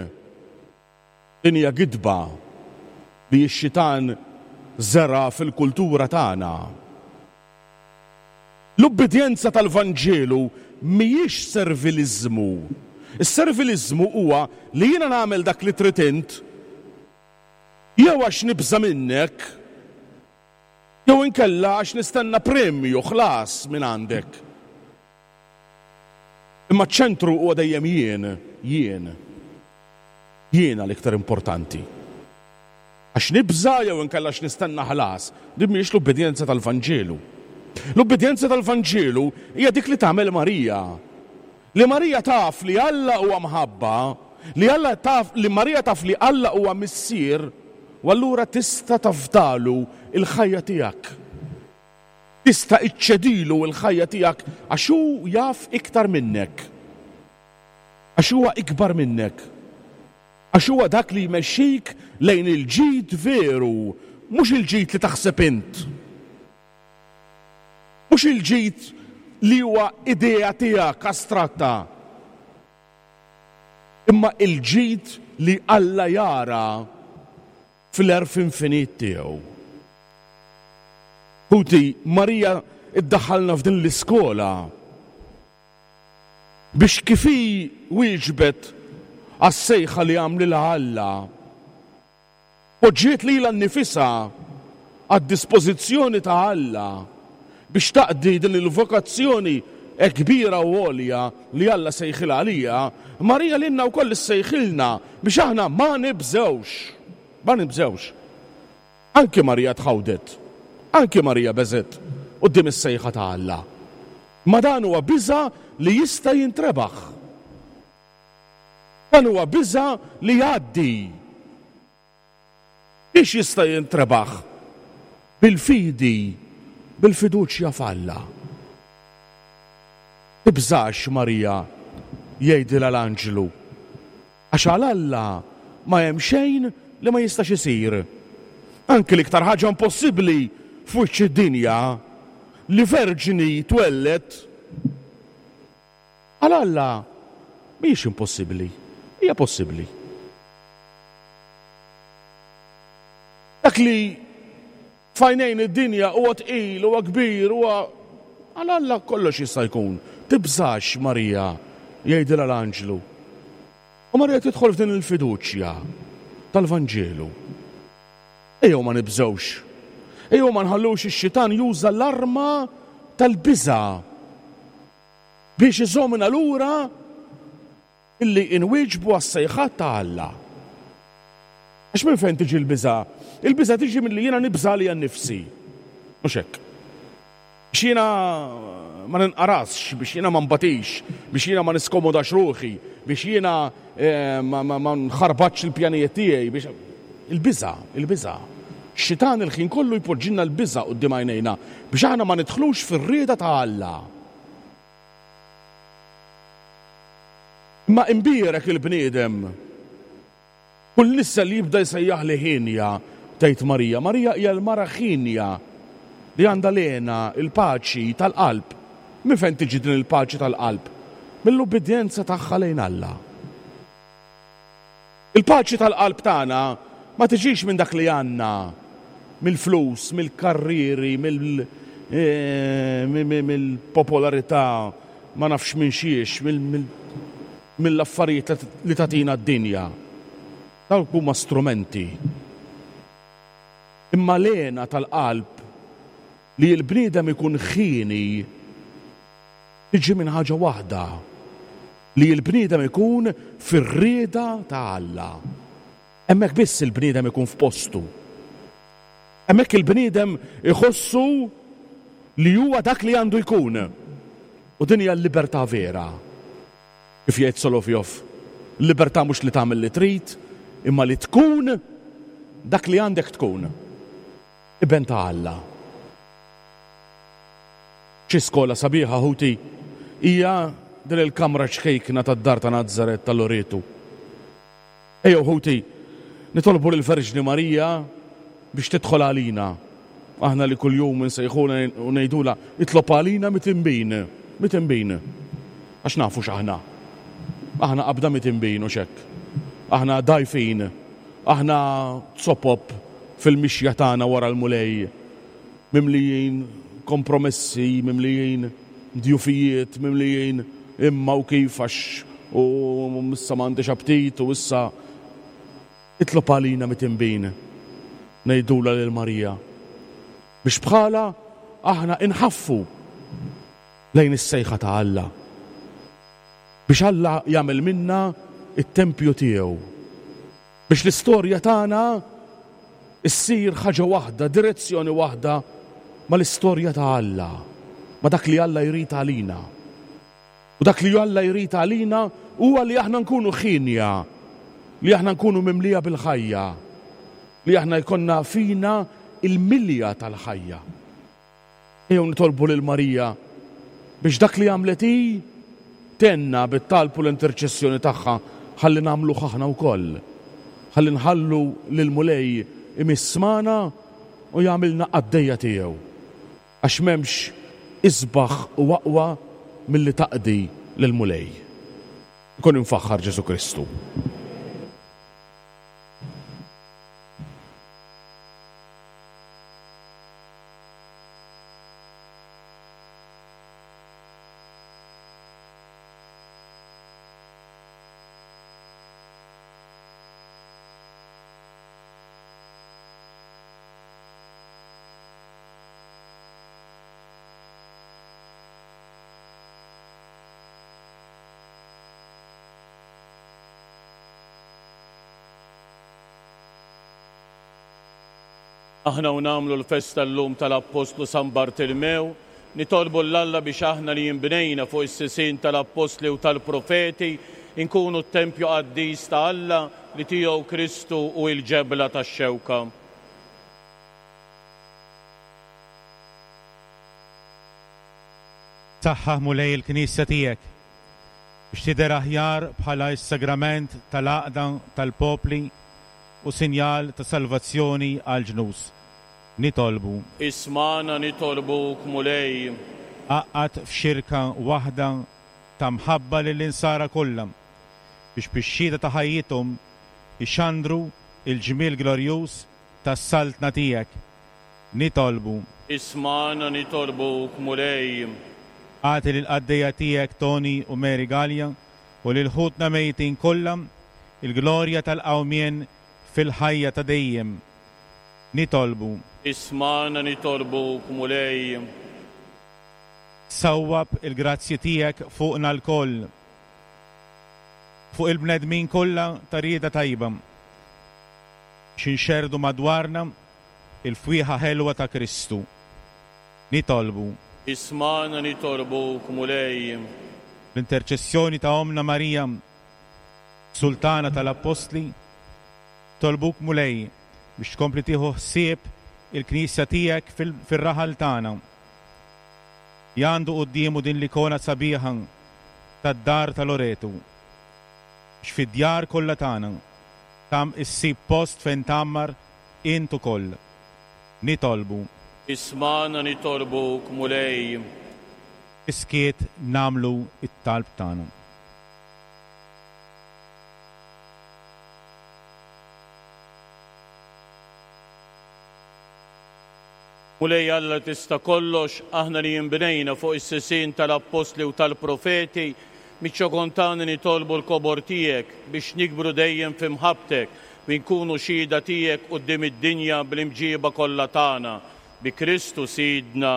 Speaker 5: Din hija gidba li x-xitan żera fil-kultura tagħna. L-ubbidjenza tal-Vanġelu mhijiex serviliżmu. Is-serviliżmu huwa li jiena nagħmel dak li trid int, jew għax nibża' minnek, jew inkella għax nistenna premju ħlas minn għandek. Imma ċ-ċentru huwa dejjem jien, jien. Jiena l-iktar importanti. Għax nibża' jew inkella għax nistenna ħlas, din mhijiex l-ubbidjenza tal-Vanġelu. L-ubbidjenza tal-Vanġelu hija dik li tagħmel Marija. Li Marija taf li Alla huwa mħabba, li Alla taf, li Marija taf li Alla huwa missier, u allura tista' tafdalu il-ħajja tiegħek. Tista' iċċedilu l-ħajja tiegħek għax hu jaf iktar minnek. Għax huwa ikbar minnek. Għax huwa dak li jmexxik lejn il-ġid veru, mhux il-ġid li taħseb int. Mhux il-ġid li huwa idea tiegħek astratta. Imma il-ġid li Alla jara fl-għerf infinit tiegħu. Ħuti, Marija iddaħħalna f'din l-iskola biex kif hi wieġbet għas-sejħa li għamlilha Alla, poġġiet lilha nnifisha għad-dispożizzjoni ta' Alla biex taqdi din il-vokazzjoni hekk kbira u għolja li Alla sejħilha għalija. Marija lilna wkoll issejħilna biex aħna ma nibżewx. Ma nibżewx. Anki Marija tħawdet. Anki Marija beżet quddiem is-sejħa ta' Alla. Ma dan huwa biża' li jista' jintrebaħ. Dan huwa biża' li jgħaddi. Biex jista' jintrebaħ? Bil-fidi, bil-fiduċja f'Alla. Tibżax, Marija, jgħidilha l-anġlu, għax għal Alla ma hemm xejn li ma jistax isir. Anki l-iktar ħaġa impossibbli f'wiċċ id-dinja, li verġni twellet, għal Alla mhijiex impossibbli, hija possibbli. Dak li f'għajnejn id-dinja huwa tqil, huwa kbir, huwa għal Alla kollox jista' jkun. Tibżax, Marija, jgħidilha l-anġlu. U Marija tidħol f'din il-fiduċja tal-Vanġelu. Ejjew ma nibżgħux. Ejjew ma nħallux ix-xitan juża l-arma tal-biża' biex iżommna lura illi inwieġbu għas-sejħat ta' Alla. Għax minn fejn tiġi l-biża'? Il-biża' tiġi milli jiena nibża' għalija nnifsi. Mhux hekk. Biex jiena ma ninqarasx, biex jiena ma nbatix, biex jiena ma niskomodax ruħi, biex jiena, eh, ma, ma, ma nħarbatx il-pjanijiet tiegħi, biex il-biża', il-biża'. Xitan il-ħin kollu jpoġġilna l-biża' quddiem għajnejna biex aħna ma nidħlux fir-rieda ta' Alla. Imma imbierek il-bniedem. Kull nissa li jibda jsejjaħ li ħinja, tgħid Marija. Marija hija l-mara ħinja li għandha l-hena, il-paċi tal-qalb. Minn fejn tiġi din il-paċi tal-qalb? Mill-ubbidjenza tagħha lejn Alla. Il-paċi tal-qalb tagħna ma tiġix minn dak li għandna, mill-flus, mill-karrieri, mill-, eh, mill-popolarità, ma nafx minn xiex, mill-, mill-, mill-affarijiet li tagħtina d-dinja. Dawk huma strumenti. Imma l-hena tal-qalb li l-bniedem ikun ħieni tiġi minn ħaġa waħda, li l-bniedem ikun fir-rieda ta' Alla. Hemmhekk biss il-bniedem ikun f'postu. Hemmhekk il-bniedem iħossu li huwa dak li għandu jkun. U din hija l-libertà vera. Kif jgħid Solovjov, Il-libertà mhux li tagħmel li trid, imma li tkun dak li għandek tkun. Iben ta' Alla. Xi skola sabiħa ħuti hija din il-kamra ċkejkna tad-dar ta' Nazaret tal-Loretu. Ejjew ħuti, nitolbu lill-Verġni Marija biex tidħol għalina. Aħna li kuljum insejħulha u ngħidulha itlob għalina mitinbin, mitinbin. Għax nafu x'aħna. Aħna qabda mitinbin u x'hekk. Aħna dgħajfin, aħna zopop fil-mixja tagħna wara l-Mulej, mimlijin kompromessi, mimlijin djufijiet, mimlijin imma u kif għax u issa m'għandix aptit u issa itlob għalina mitinbin, ngħidulha lil Marija biex bħala aħna inħaffu lejn is-sejħa ta' Alla, biex Alla jagħmel minna it-tempju tiegħu, biex l-istorja tagħna issir ħaġa waħda, direzzjoni waħda mal-istorja ta' Alla, ma' dak li Alla jrid għalina. U dak li Alla jrid għalina huwa li aħna nkunu ħinja, li aħna nkunu mimlija bil-ħajja, li aħna jkollna fina il-milja tal-ħajja. Ejjew nitolbu lil Marija biex dak li għamlet hi tenna bit-talb u l-interċessjoni tagħha ħalli nagħmluh aħna wkoll. Ħalli nħallu lil Mulej imiss magħna u jagħmilna qaddejja tiegħu. Għax m'hemmx isbaħ u aqwa milli taqdi lil Mulej. Ikun infaħħar Ġesu Kristu.
Speaker 2: Aħna u nagħmlu l-festa llum tal-Appostlu San Bartilmew, nitolbu 'l Alla biex aħna li jinbnejna fuq is-sisien tal-Appostli u tal-Profeti inkunu t-tempju qaddis ta' Alla li tiegħu Kristu u l-ġebla tax-xewka.
Speaker 4: Saħħaħ Mulej il-Knisja tiegħek biex tidher aħjar bħala s-sagrament tal-għaqda tal-popli u sinjal ta' salvazzjoni għal ġnus. Nitolbu.
Speaker 2: Ismana nitolbuk Mulej.
Speaker 4: Għaqqad f'xirka waħda ta' mħabba lill-insara kollha biex bix-xhieda ta' ħajjithom ixandru il-ġmiel glorjuż tas-saltna tiegħek. Nitolbu.
Speaker 2: Ismana nitolbuk Mulej.
Speaker 4: Agħti lill-qaddejja tiegħek Tony u Mary Gallia u lil ħutna mejtin kollha il-glorja tal-qawmien fil-ħajja ta' dejjem. Nitolbu.
Speaker 2: Ismana nitolbuk Mulej.
Speaker 4: Sawwab il-grazzji tiegħek fuqna lkoll, fuq il-bnedmin kollha ta' rieda tajba, biex inxerrdu madwarna il-fwieħa ħelwa ta' Kristu. Nitolbu.
Speaker 2: Ismana nitolbuk Mulej.
Speaker 4: L-interċessjoni ta' Omna Marija, Sultana tal-Appostli, tolbuk Mulej biex tkompli tieħu ħsieb il-Knisja tiegħek fil-raħal tagħna. Jandu quddiemu din l-ikona sabiħa tad-dar ta' Loretu, biex fid-djar kollha tagħna tam issib post fejn tgħammar int ukoll. Nitolbu.
Speaker 2: Ismana nitolbuk Mulej.
Speaker 4: Iskiet nagħmlu it-talb tagħna.
Speaker 2: Mulej Alla tista' kollox, aħna li jinbnejna fuq is-sisien tal-Appostli u tal-Profeti, miċ-ċokon tagħna nitolbu l-kobor tiegħek biex nikbru dejjem fi mħabbtek u nkunu xhieda tiegħek quddiem id-dinja bl-imġiba kollha tagħna. Bi Kristu Sidna.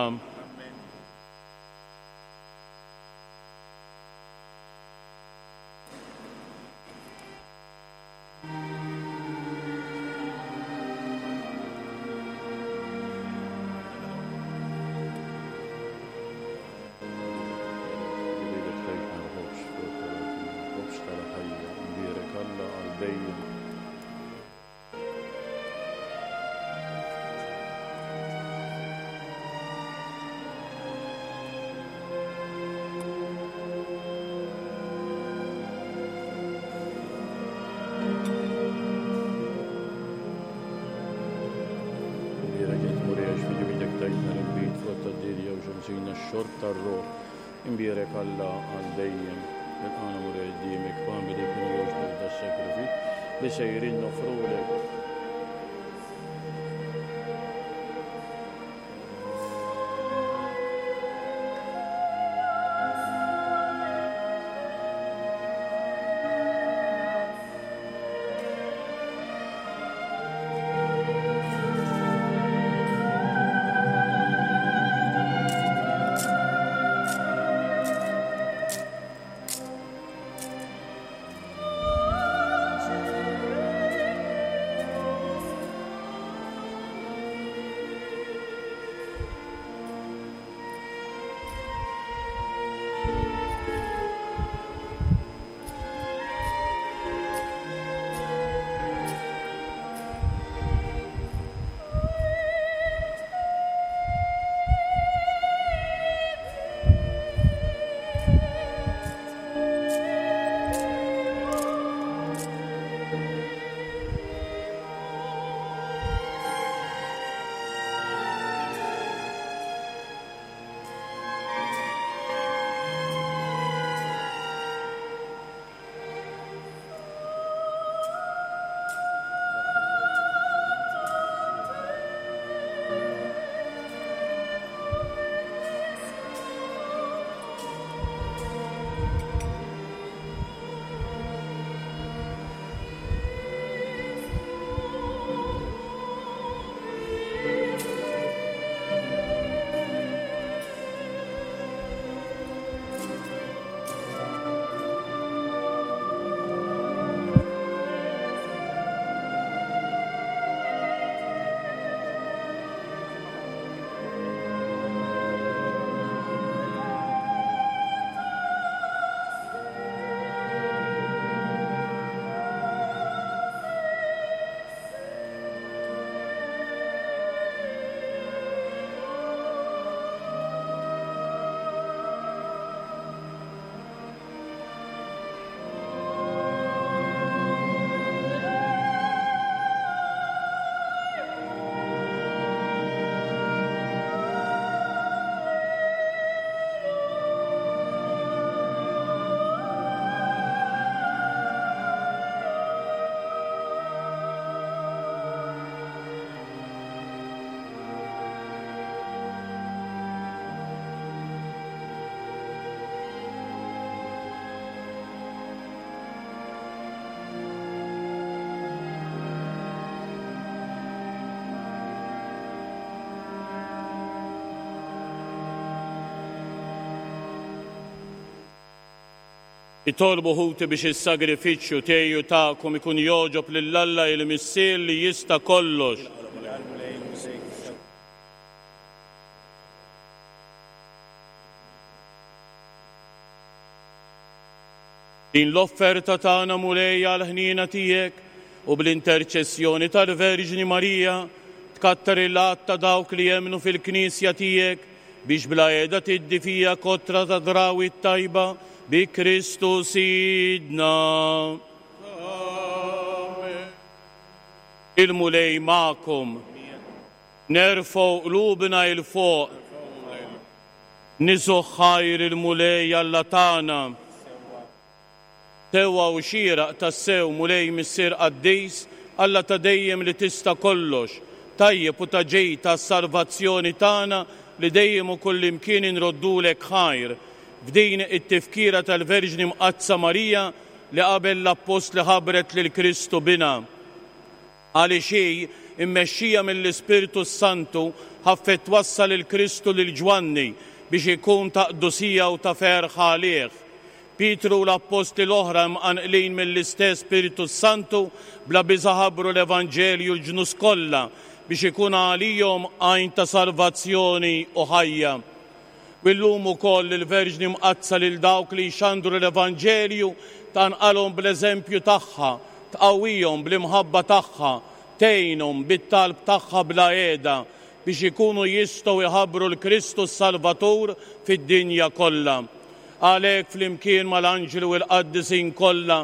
Speaker 2: biex insina x-xorb tar-ruħ. Imbierek Alla għal dejjem. Ilqagħna Mulej quddiemek f'għamel li jkun jogħġbok das-sagrifiċċju li sejrin noffrulek. Itolbu ħuti biex is-sagrifiċċju tiegħi u tagħkom ikun jogħġob lil Alla il-Missier li jista' kollox. Din l-offerta tagħna Mulej għall-ħniena tiegħek u bl-interċessjoni tal-Verġni Marija tkattar il-għadd ta' dawk li jemmnu fil-Knisja tiegħek biex bla qiegħda tiddi fija kotra ta' drawi tajba bi Kristu Sidna.
Speaker 5: Amen.
Speaker 2: Il-Mulej magħkom. Nerfgħu qlubna 'il fuq. Niżgħu ħajr il-Mulej Alla tagħna. Sewwa u xieraq tassew Mulej Missier Qaddis, Alla ta' dejjem li tista' kollox, tajjeb u ta' ġej tas-salvazzjoni tagħna li dejjem u kullimkien inroddulek ħajr. F'din it-tifkira tal-Verġni Mqaddsa Marija li qabel l-Appostli ħabbret lil Kristu bina. Għaliex hi, immexxija mill-Ispirtu Santu, ħaffet twassal il Kristu lil Ġwanni biex ikun ta' qdusija u ta' ferħ għalih. Pietru u l-Appostli l-oħra mqanqlin mill-istess Spiritu Santu bla biża' ħabbru l-Evanġelju l-ġnus kollha biex ikun għalihom għajn ta' salvazzjoni u ħajja. U llum ukoll il-Verġni Mqaddsa lil dawk li jxandru l-Evanġelju tanqalhom bl-eżempju tagħha, tqawwihom bl-imħabba tagħha, tgħinhom bit-talb tagħha bla qiegħda biex ikunu jistgħu jħabbru l-Kristu s-Salvatur fid-dinja kollha. Għalhekk flimkien mal-anġli u l-qaddisin kollha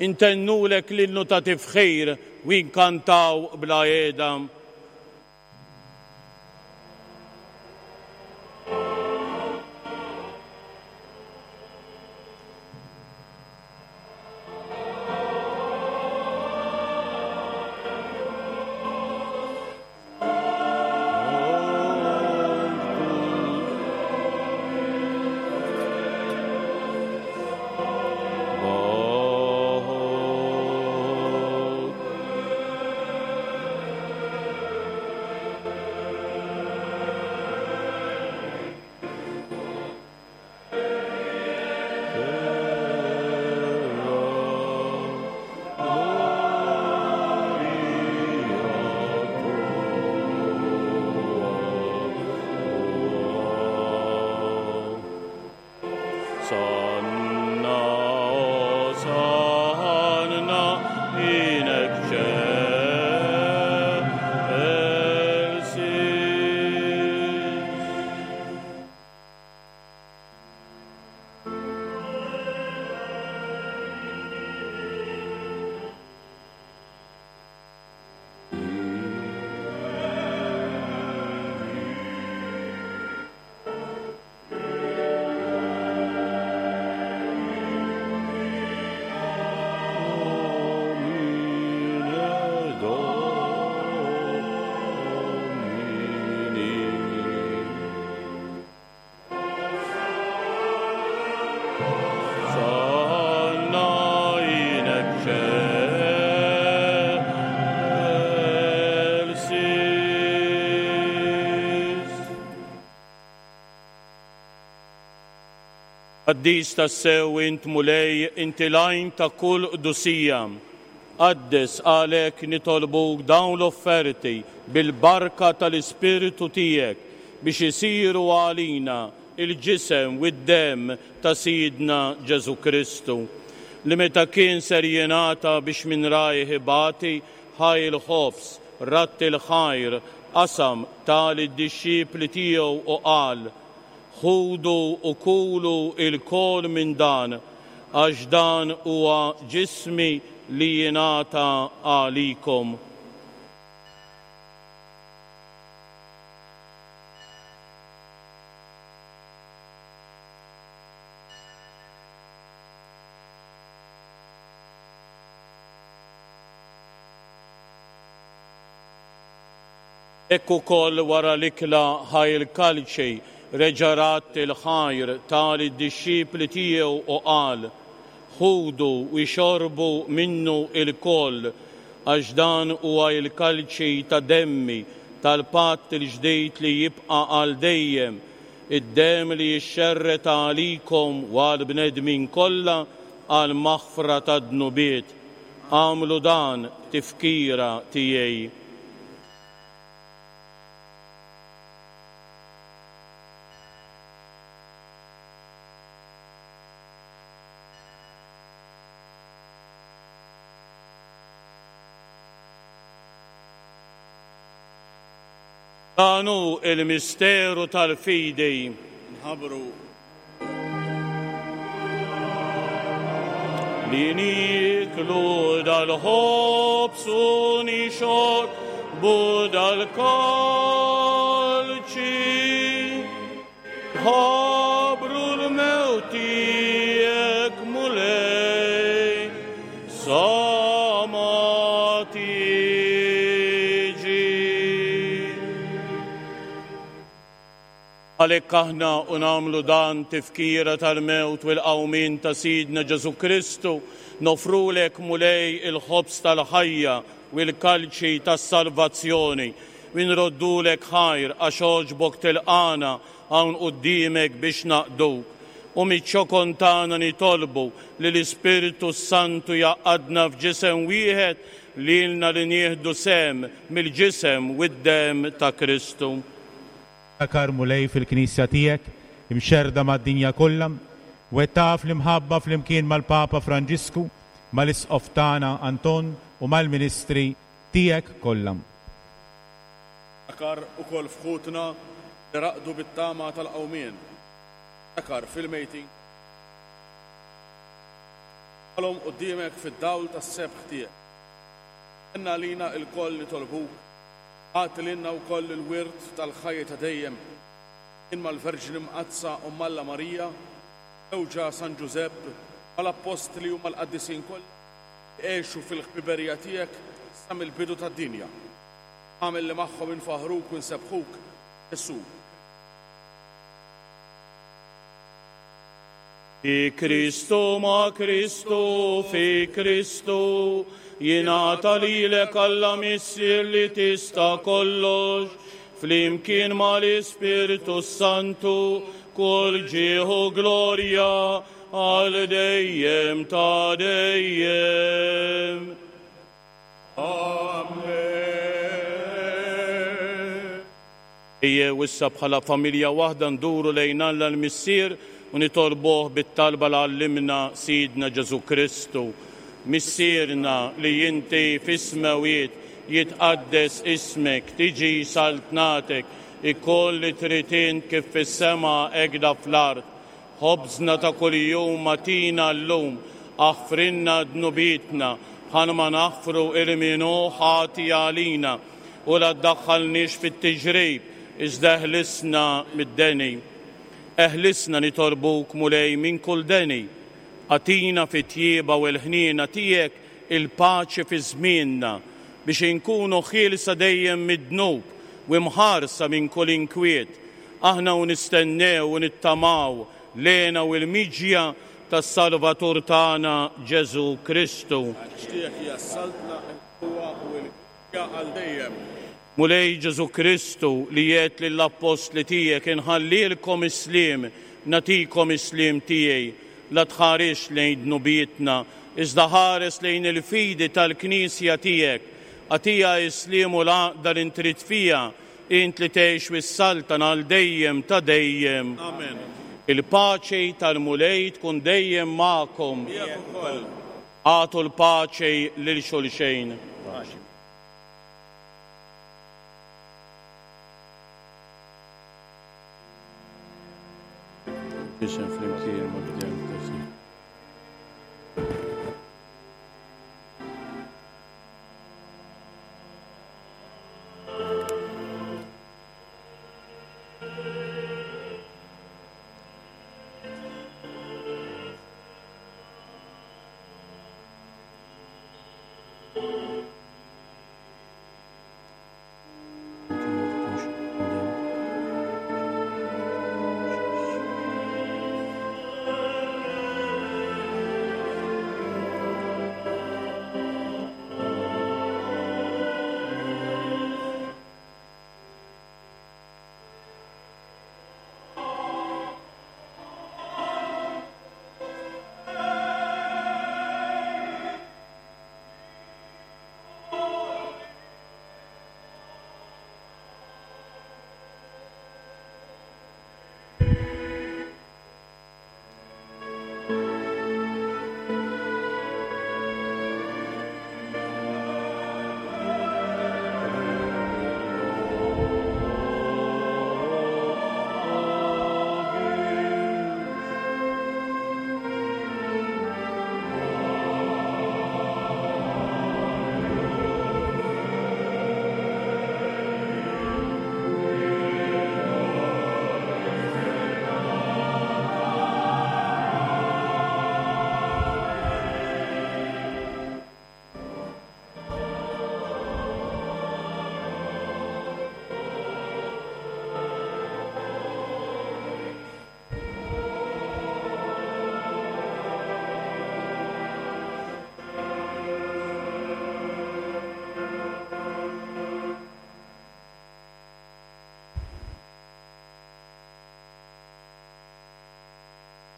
Speaker 2: intennulek l-innu ta' tifħir u nkantaw bla qiegħda. Qaddis tassew int Mulej, inti l-għajn ta' kull qdusija. Qaddes għalhekk nitolbuk dawn l-offerti bil-barka tal-Ispirtu tiegħek biex isiru għalina il-ġisem u d-demm ta' Sidna Ġesù Kristu, li meta kien ser jingħata biex minn rajh ibati, ħa l-ħobż, radd il-ħajr, qasam ta lid-dixxipli tiegħu u qal: Ħudu u kulu lkoll minn dan, għax dan huwa ġismi li jingħata għalikom. Hekk ukoll wara l-ikla ħa l-kalċi, reġa' radd il-ħajr ta lid-dixxipli tiegħu u qal: Ħudu u xorbu minnu lkoll, għax dan huwa l-kalċi ta' demmi tal-patt il-ġdid li jibqa' għal dejjem, id-demm li jixxerred għalikom u għall-bnedmin kollha għal maħfra tad-dnubiet. Agħmlu dan tifkira tiegħi. Dan hu il-misteru tal-fidi.
Speaker 5: Nħabbru
Speaker 2: li nieklu dal-ħobż u nixorbu dal-kalċi. Nħabbru l-mewt tiegħek, Mulej, sa ma tiġi. Għalhekk aħna u nagħmlu dan tifkira tal-mewt u l-qawmien ta' Sidna Ġesù Kristu, nofrulek Mulej il-ħobż tal-ħajja u l-kalċi tas-salvazzjoni, u nroddulek ħajr għax għoġbok tilqana hawn quddiemek biex naqduk. U miċ-ċokon tagħna nitolbu li l-Ispirtu s-Santu jgħaqqadna f'ġisem wieħed lilna li nieħdu sehem mill-ġisem u d-demm ta' Kristu.
Speaker 4: Ftakar Mulej fil-Knisja tiegħek imxerda mad-dinja kollha, u taf l-imħabba flimkien mal-Papa Franġisku, mal-Isqof tagħna Anton u mal-Ministri tiegħek kollha.
Speaker 5: Ftakar ukoll f'ħutna li raqdu bit-tama tal-qawmien. Ftakar fil-mejtin. Għalhom quddiemek fid-dawl tas-sebħ tiegħek. Għinna lilna lkoll nitolbuk, agħti lilna wkoll il-wirt tal-ħajja ta' dejjem, kien mal-Verġni Mqaddsa u Alla Marija, żewġha San Ġużepp, mal-Appostli u mal-Qaddisin kollha, għexu fil-ħbiberija tiegħek sa mill-bidu tad-dinja. Agħmel li magħhom infaħruk u nsebbħuk, Ġesù.
Speaker 2: Fi Kristu ma' Kristu fi Kristu jingħata lilek Alla Missier li tista' kollox, flimkien mal-Ispirtu Santu, kull ġieħ u glorja għal dejjem ta' dejjem.
Speaker 5: Amen.
Speaker 2: Ejjew issa bħala familja waħda nduru lejn Alla l-Missier u nitolbuh bit-talba li għallimna Sidna Ġesù Kristu. Missierna li inti fis-smewwiet, jitqaddes ismek, tiġi saltnatek, ikun li trid int kif fis-sema hekk fl-art. Ħobżna ta' kuljum agħtina llum, aħfrilna dnubietna bħalma naħfru lil min hu ħati għalina, u la ddaħħalniex fit-tiġrib, iżda eħlisna mid-deni. Eħlisna nitolbuk Mulej minn kull deni, agħtina fit-tjieba u l-ħniena tiegħek il-paċi fi żmienna, biex inkunu ħielsa dejjem mid-dnub u mħarsa minn kull inkwiet. Aħna u nistennew u nittamaw lejna u l-miġja tas-Salvatur tagħna Ġesù Kristu.
Speaker 5: Għax tiegħek hija s-saltna, il-qawwa u l-glorja għal dejjem.
Speaker 2: Mulej Ġesù Kristu li għedt lill-appostli tiegħek inħallilkom is-sliem, Nagħtikom is-sliem tiegħi, la tħares lejn dnubietna, iżda ħares lejn il-fidi tal-Knisja tiegħek. Agħtiha s-sliem u l-għaqda li trid fiha, int li tgħix u ssaltan għal dejjem ta' dejjem.
Speaker 5: Amen.
Speaker 2: Il-paċi tal-Mulej tkun dejjem magħkom. Agħtu l-paċi lil xulxejn. Ġisem flimkien mad-demm ta'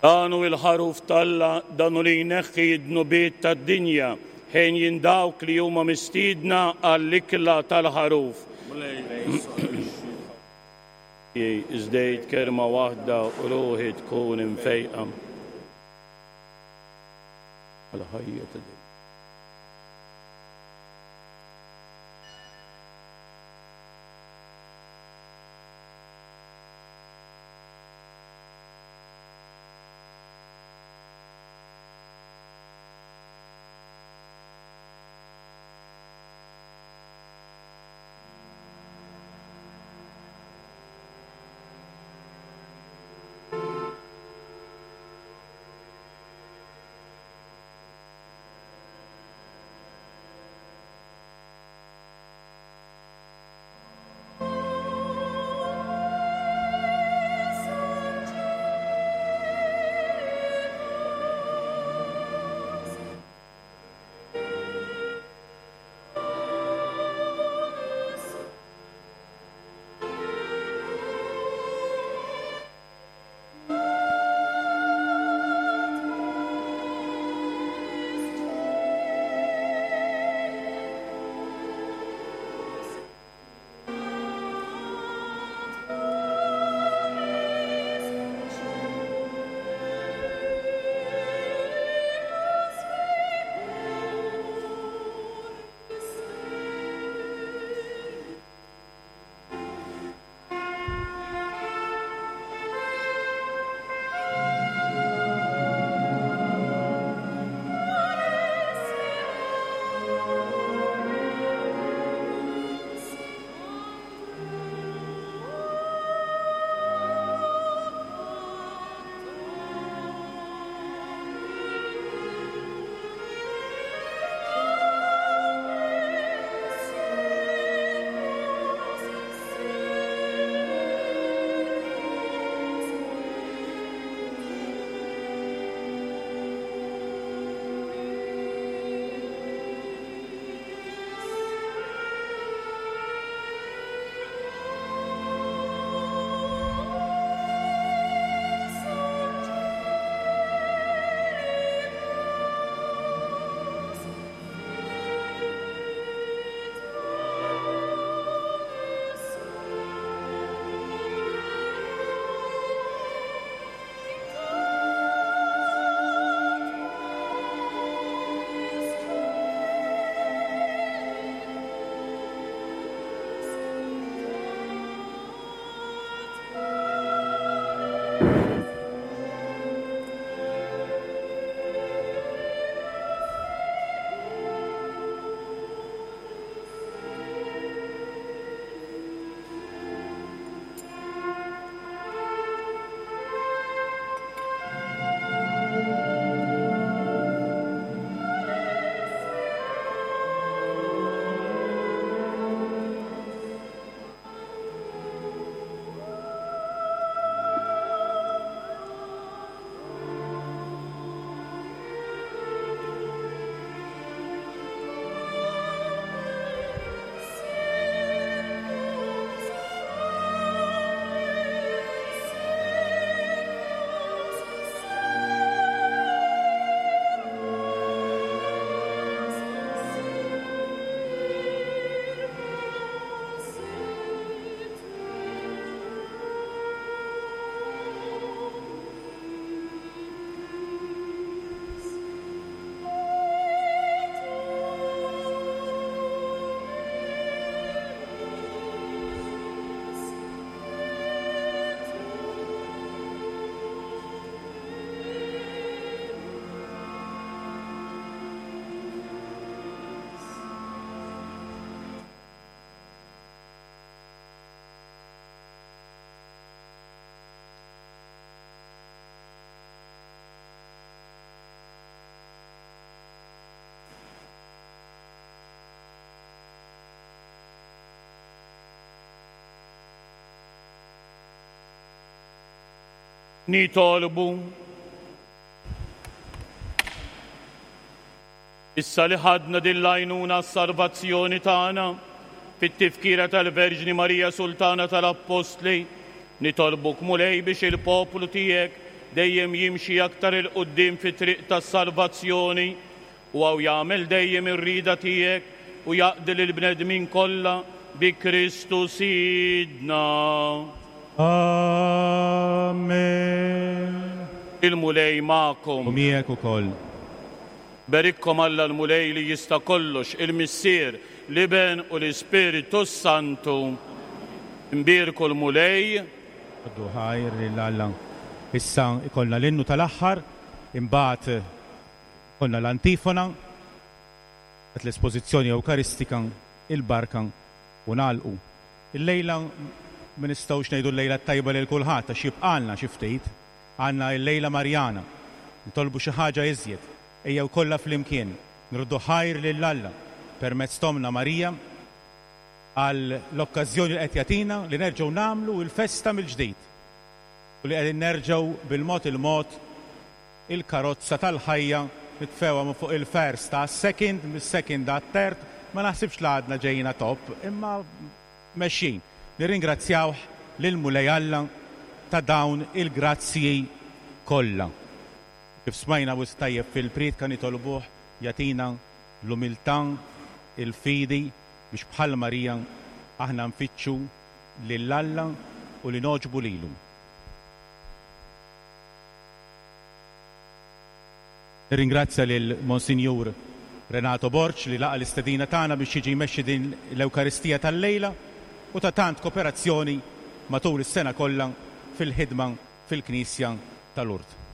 Speaker 2: Dan hu il-ħaruf t'Alla, dan hu li jneħħi d-dnubiet tad-dinja, ħenjin dawk li huma mistiedna għall-ikla tal-ħaruf. Iżdejt kelma waħda u ruħi tkun imfejqa. Għal-ħajja ta' dejjem. Nitolbu. Issa li ħadna din l-għajnuna s-salvazzjoni tagħna fit-tifkira tal-Verġni Marija Sultana tal-Appostli, nitolbuk Mulej biex il-poplu tiegħek dejjem jimxi aktar 'il quddiem fit-triq tas-salvazzjoni u għaw jagħmel dejjem ir-rieda tiegħek u jaqdi lill-bnedmin kollha bi Kristu Sidna.
Speaker 4: Amen.
Speaker 2: Il-Mulej magħkom.
Speaker 4: U miegħek ukoll.
Speaker 2: Berikkom Alla l-Mulej li jista' kollox, il-Missier, l-Iben u l-Ispiritu Santu. Imbierku l-Mulej.
Speaker 4: Għaddu ħajr lil Alla. Issa ikollna l-innu tal-aħħar, imbagħad ikollna l-antifona, l-espożizzjoni Ewkaristika, il-barka u nagħlqu. Il-lejla ma nistgħux ngħidu l-lejla tajba lil kulħadd għax jibqalna xi ftit, għandna l-lejla Marjana. Nitolbu xi ħaġa iżjed. Ejjew kollha flimkien nruddu ħajr lil Alla permezz t'Ommna Marija għal l-okkażjoni li qed jagħtina li nerġgħu nagħmlu l-festa mill-ġdid u li qegħdin nerġgħu bil-mod il-mod il-karozza tal-ħajja nitfewha minn fuq il-first ta' second, mis-second għat third, ma naħsibx li għadna ġejna top, imma mexjin. Nirringrazzjawh lil Mulej Alla ta' dawn il-grazzji kollha. Kif smajna wisq tajjeb fil-priedka nitolbuh jagħtina l-umiltà, il-fidi biex bħal Marija aħna nfittxu lil Alla u li nogħġbu lilu. Nirringrazzja lil Monsinjur Renato Borg li laqa l-istedina tagħna biex jiġi jmexxi din l-Ewkaristija tal-lejla u ta' tant kooperazzjoni matul is-sena kollha fil-ħidma fil-Knisja tal-Lourdes.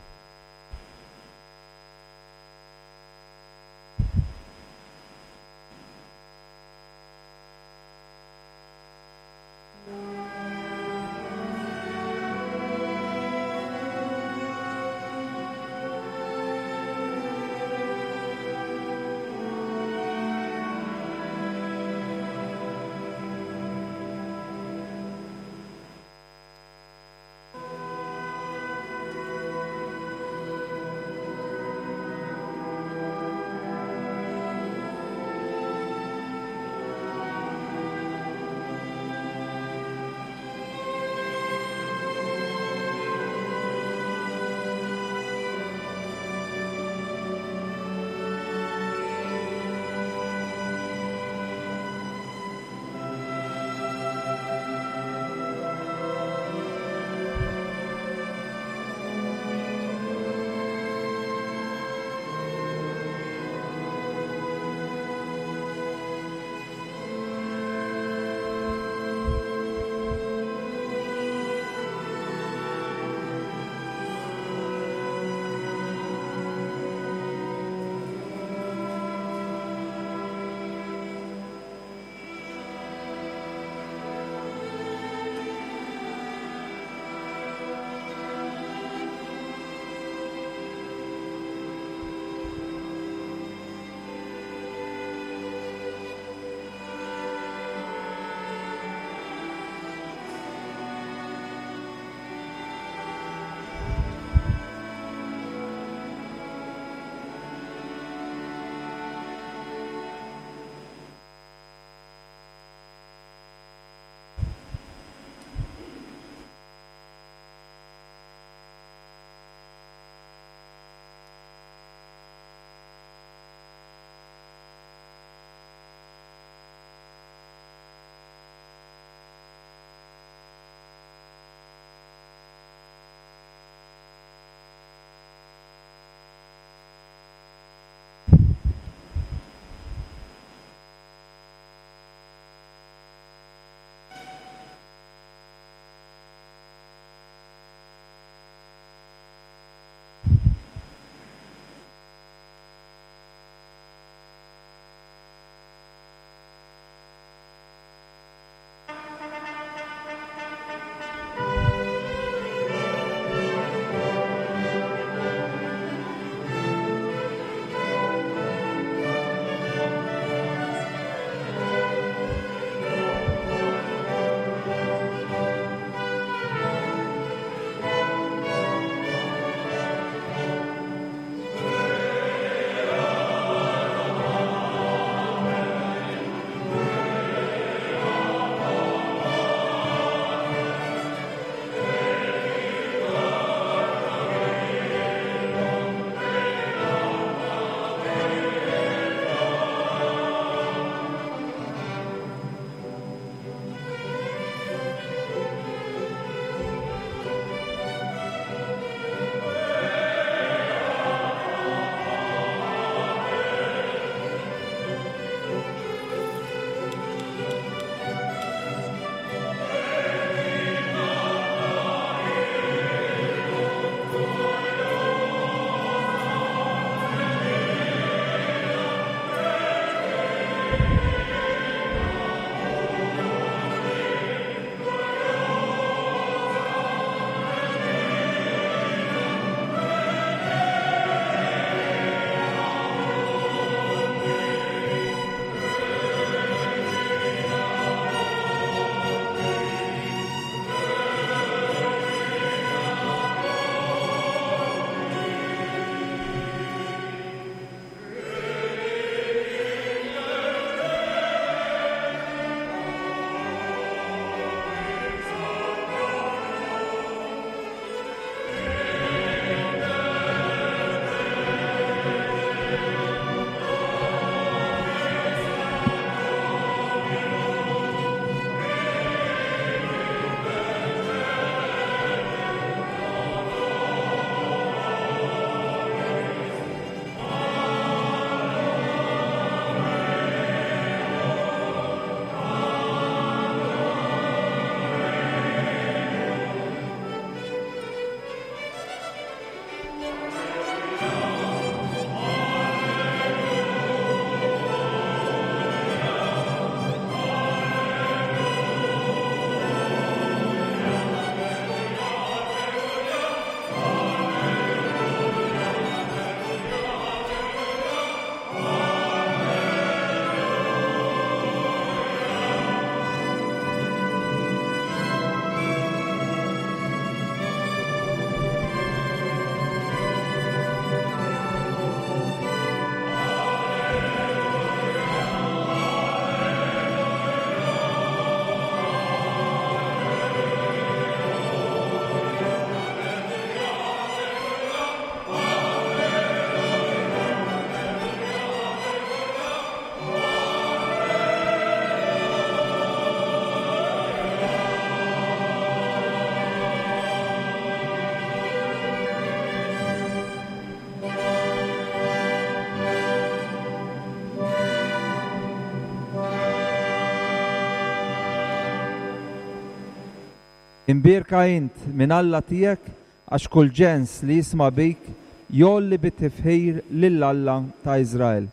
Speaker 6: Imbierka int minn Alla tiegħek għax kull ġens li jisma' bik jgħolli bit-tifħir lil Alla ta' Iżrael.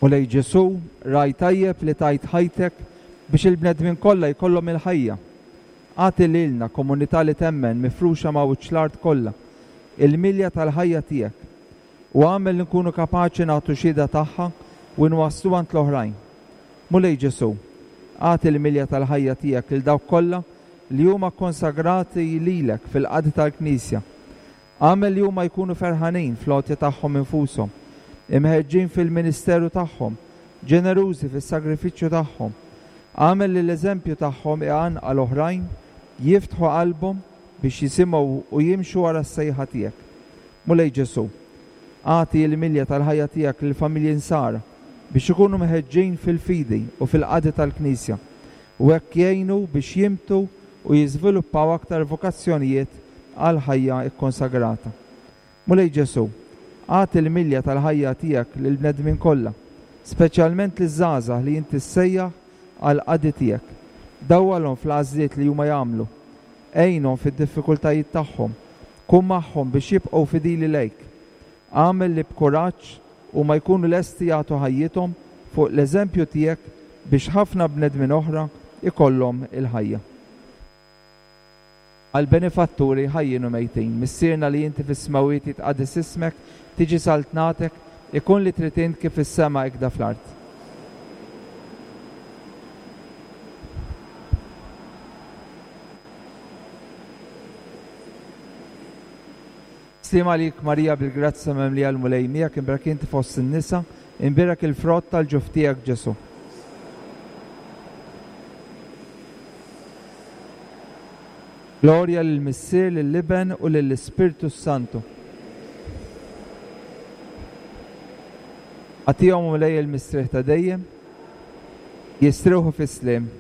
Speaker 6: Mulej Ġesù, ragħaj tajjeb li tajt ħajtek biex il-bnedmin kollha jkollhom il-ħajja. Agħti lilna komunità li temmen mifruxa ma' wiċċ l-art kollha, il-milja tal-ħajja tiegħek, u agħmel li nkunu kapaċi nagħtu xhieda tagħha u nwasslu għand l-oħrajn. Mulej Ġesù, agħti l-milja tal-ħajja tiegħek lil dawk kollha li huma konsagrati lilek fil-qadi tal-Knisja. Agħmel li huma jkunu ferħanin fl-għotja tagħhom infushom, imħeġġin fil-ministeru tagħhom, ġenerużi fis-sagrifiċċju tagħhom. Agħmel li l-eżempju tagħhom iqanqal oħrajn jiftħu qalbhom biex jisimgħu u jimxu wara s-sejħa tiegħek. Mulej Ġesù, agħti l-milja tal-ħajja tiegħek lill-familji nsara biex ikunu mħeġġin fil-fidi u fil-qadi tal-Knisja, u hekk jgħinu biex jimtu u jiżviluppaw aktar vokazzjonijiet għal ħajja kkonsagrata. Mulej Ġesù, agħti l-milja tal-ħajja tiegħek lill-bnedmin kollha, speċjalment liż-żgħażagħ li inti ssejjaħ għall-qadi tiegħek. Dawwalhom fl-għażliet li huma jagħmlu, għinhom fid-diffikultajiet tagħhom, kun magħhom biex jibqgħu fidili lejk. Agħmel li b'kuraġġ huma jkunu lesti jagħtu ħajjithom fuq l-eżempju tiegħek biex ħafna bnedmin oħra ikollhom il-ħajja. Għal-benefatturi ħajjin u mejtin, Missierna li inti fis-smewwiet jitqaddes ismek, tiġi saltnatek, ikun li trid int kif fis-sema ikda fl-art. Sliem għalik Marija bil-grazzja mimlija l-Mulej miegħek, imbierek inti fost in-nisa, imbierek il-frott tal-ġuf tiegħek Ġesù. Glorja lill-Missier, lill-Iben u lill-Ispirtu Santu. Agħtihom Mulej il-mistrieħ ta' dejjem, jistrieħu fis-sliem.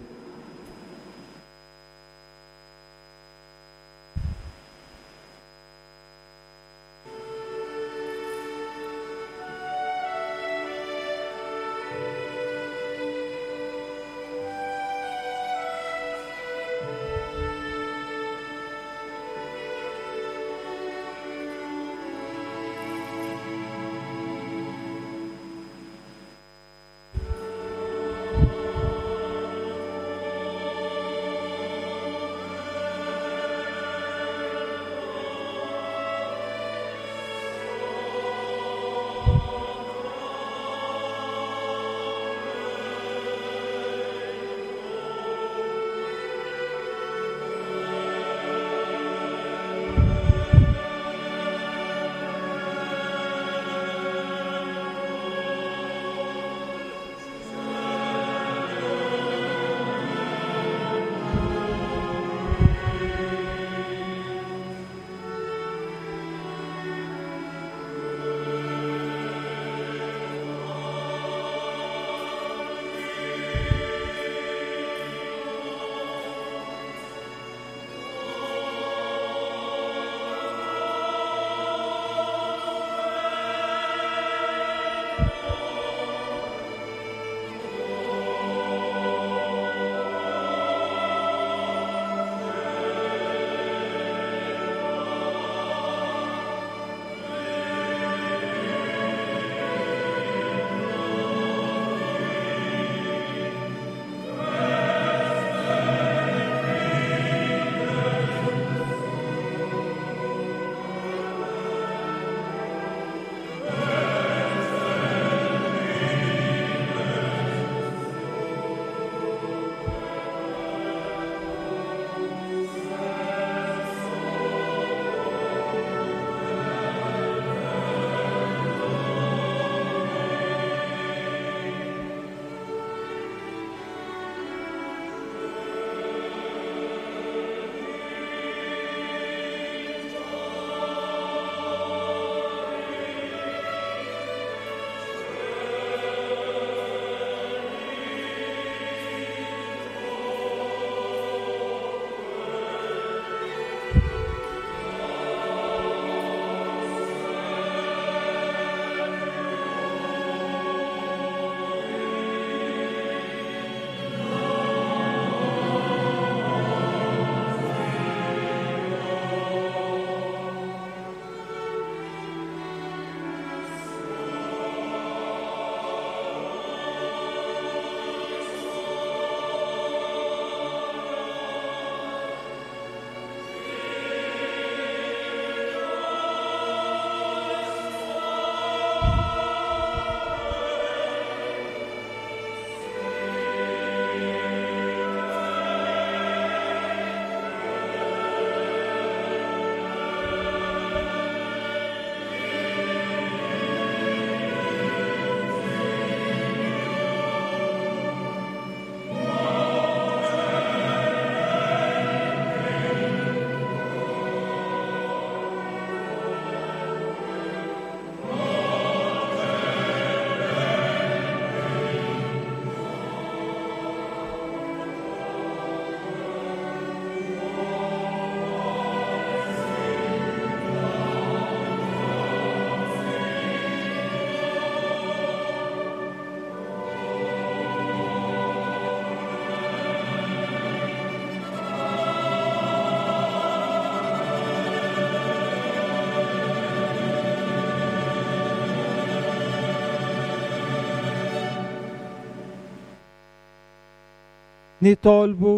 Speaker 6: Nitolbu.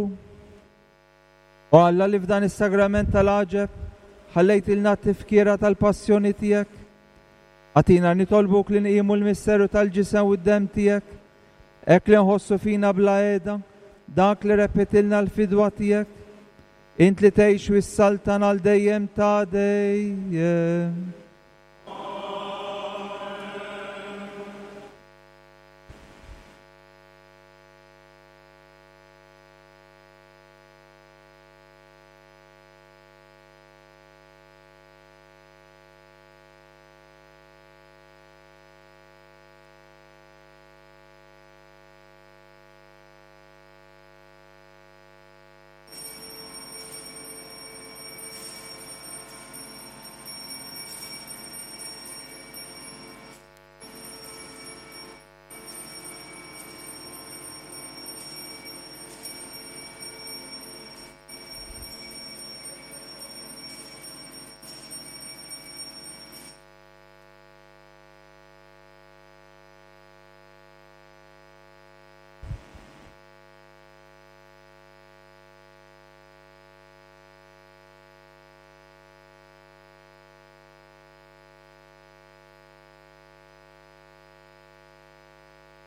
Speaker 6: O Alla li f'dan is-sagrament tal-għaġeb ħallejtilna t-tifkira tal-passjoni tiegħek, agħtina nitolbuk li nqimu l-misteru tal-ġisem u d-demm tiegħek, hekk li nħossu fina bla qiegħda dak li repetilna l-fidwa tiegħek, int li tgħix u s-saltan għal dejjem ta' dejjem.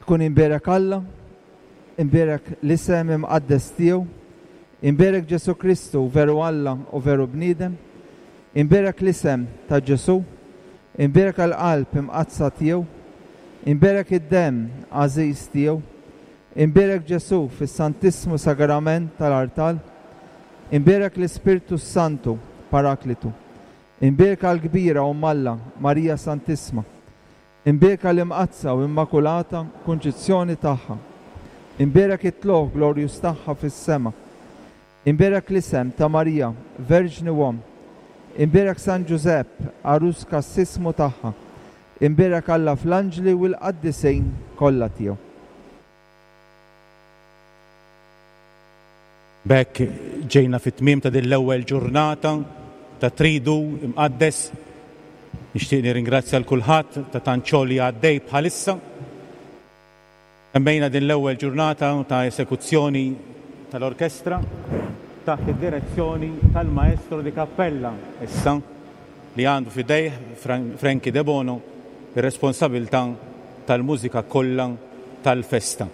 Speaker 6: Kun imbierek Alla, imbierek l-isem imqaddes tiegħu, imbierek Ġesu Kristu veru Alla u veru bniedem, imbierek l-isem ta' Ġesu, imbierek l-qalb imqaddsa tiegħu, imbierek id-demm għażiż tiegħu, imbierek Ġesu fis-Santissmu Sagrament tal-Artal, imbierek l-Ispirtu Santu Paraklitu, imbierek għall-kbira Omm Alla Marija Santissma, imbierka l-imqaddsa u immakulata kunċizzjoni tagħha, imbierek it-tlugħ glorjus tagħha fis-sema, imbierek l-isem ta' Marija, Verġni u Omm, imbierek San Ġużepp, għarus kassismu tagħha, imbierek Alla fl-anġli u l-qaddisin kollha tiegħu.
Speaker 4: B'hekk ġejna fit-tmiem ta' din l-ewwel ġurnata ta' Tridu Imqaddes. Nixtieq nirringrazzja l kulħadd ta' tant xogħol li għaddej bħalissa. Temmejna din l-ewwel ġurnata ta' esekuzzjoni tal-orkestra taħt id-direzzjoni tal-maestro di cappella issa li għandu f'idejh Frankie De Bono ir-responsabilità tal-mużika kollha tal-festa.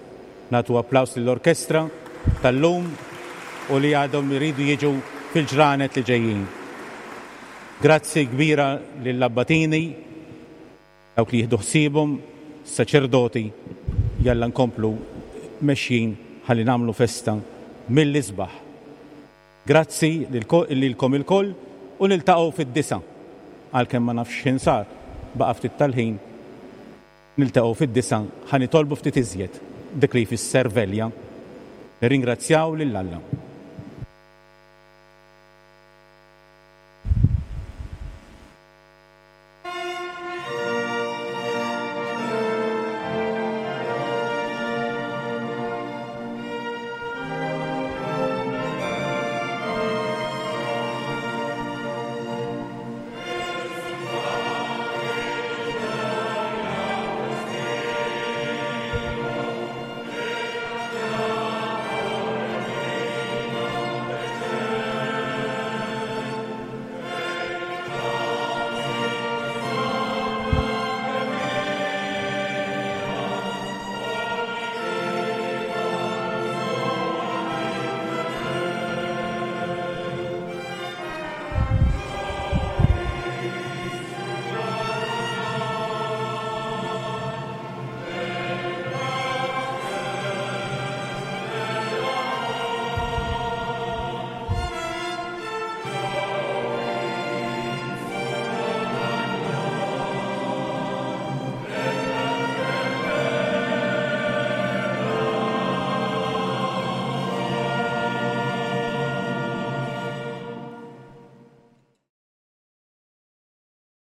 Speaker 4: Nagħtu applaws lill-orkestra tal-lum u li għadhom iridu jiġu fil-ġranet li ġejjin. Grazzi kbira lill-abbatini, dawk li jieħdu ħsiebhom, saċerdoti, jalla nkomplu mexjin ħalli nagħmlu festa mill-isbaħ. Grazzi lilkom ilkoll u niltaqgħu fid-disa. Għalkemm ma nafx x'ħin sar, baqa' ftit tal-ħin, niltaqgħu fid-disa ħa nitolbu ftit iżjed dik li jfisser velja. Nirringrazzjaw lil Alla.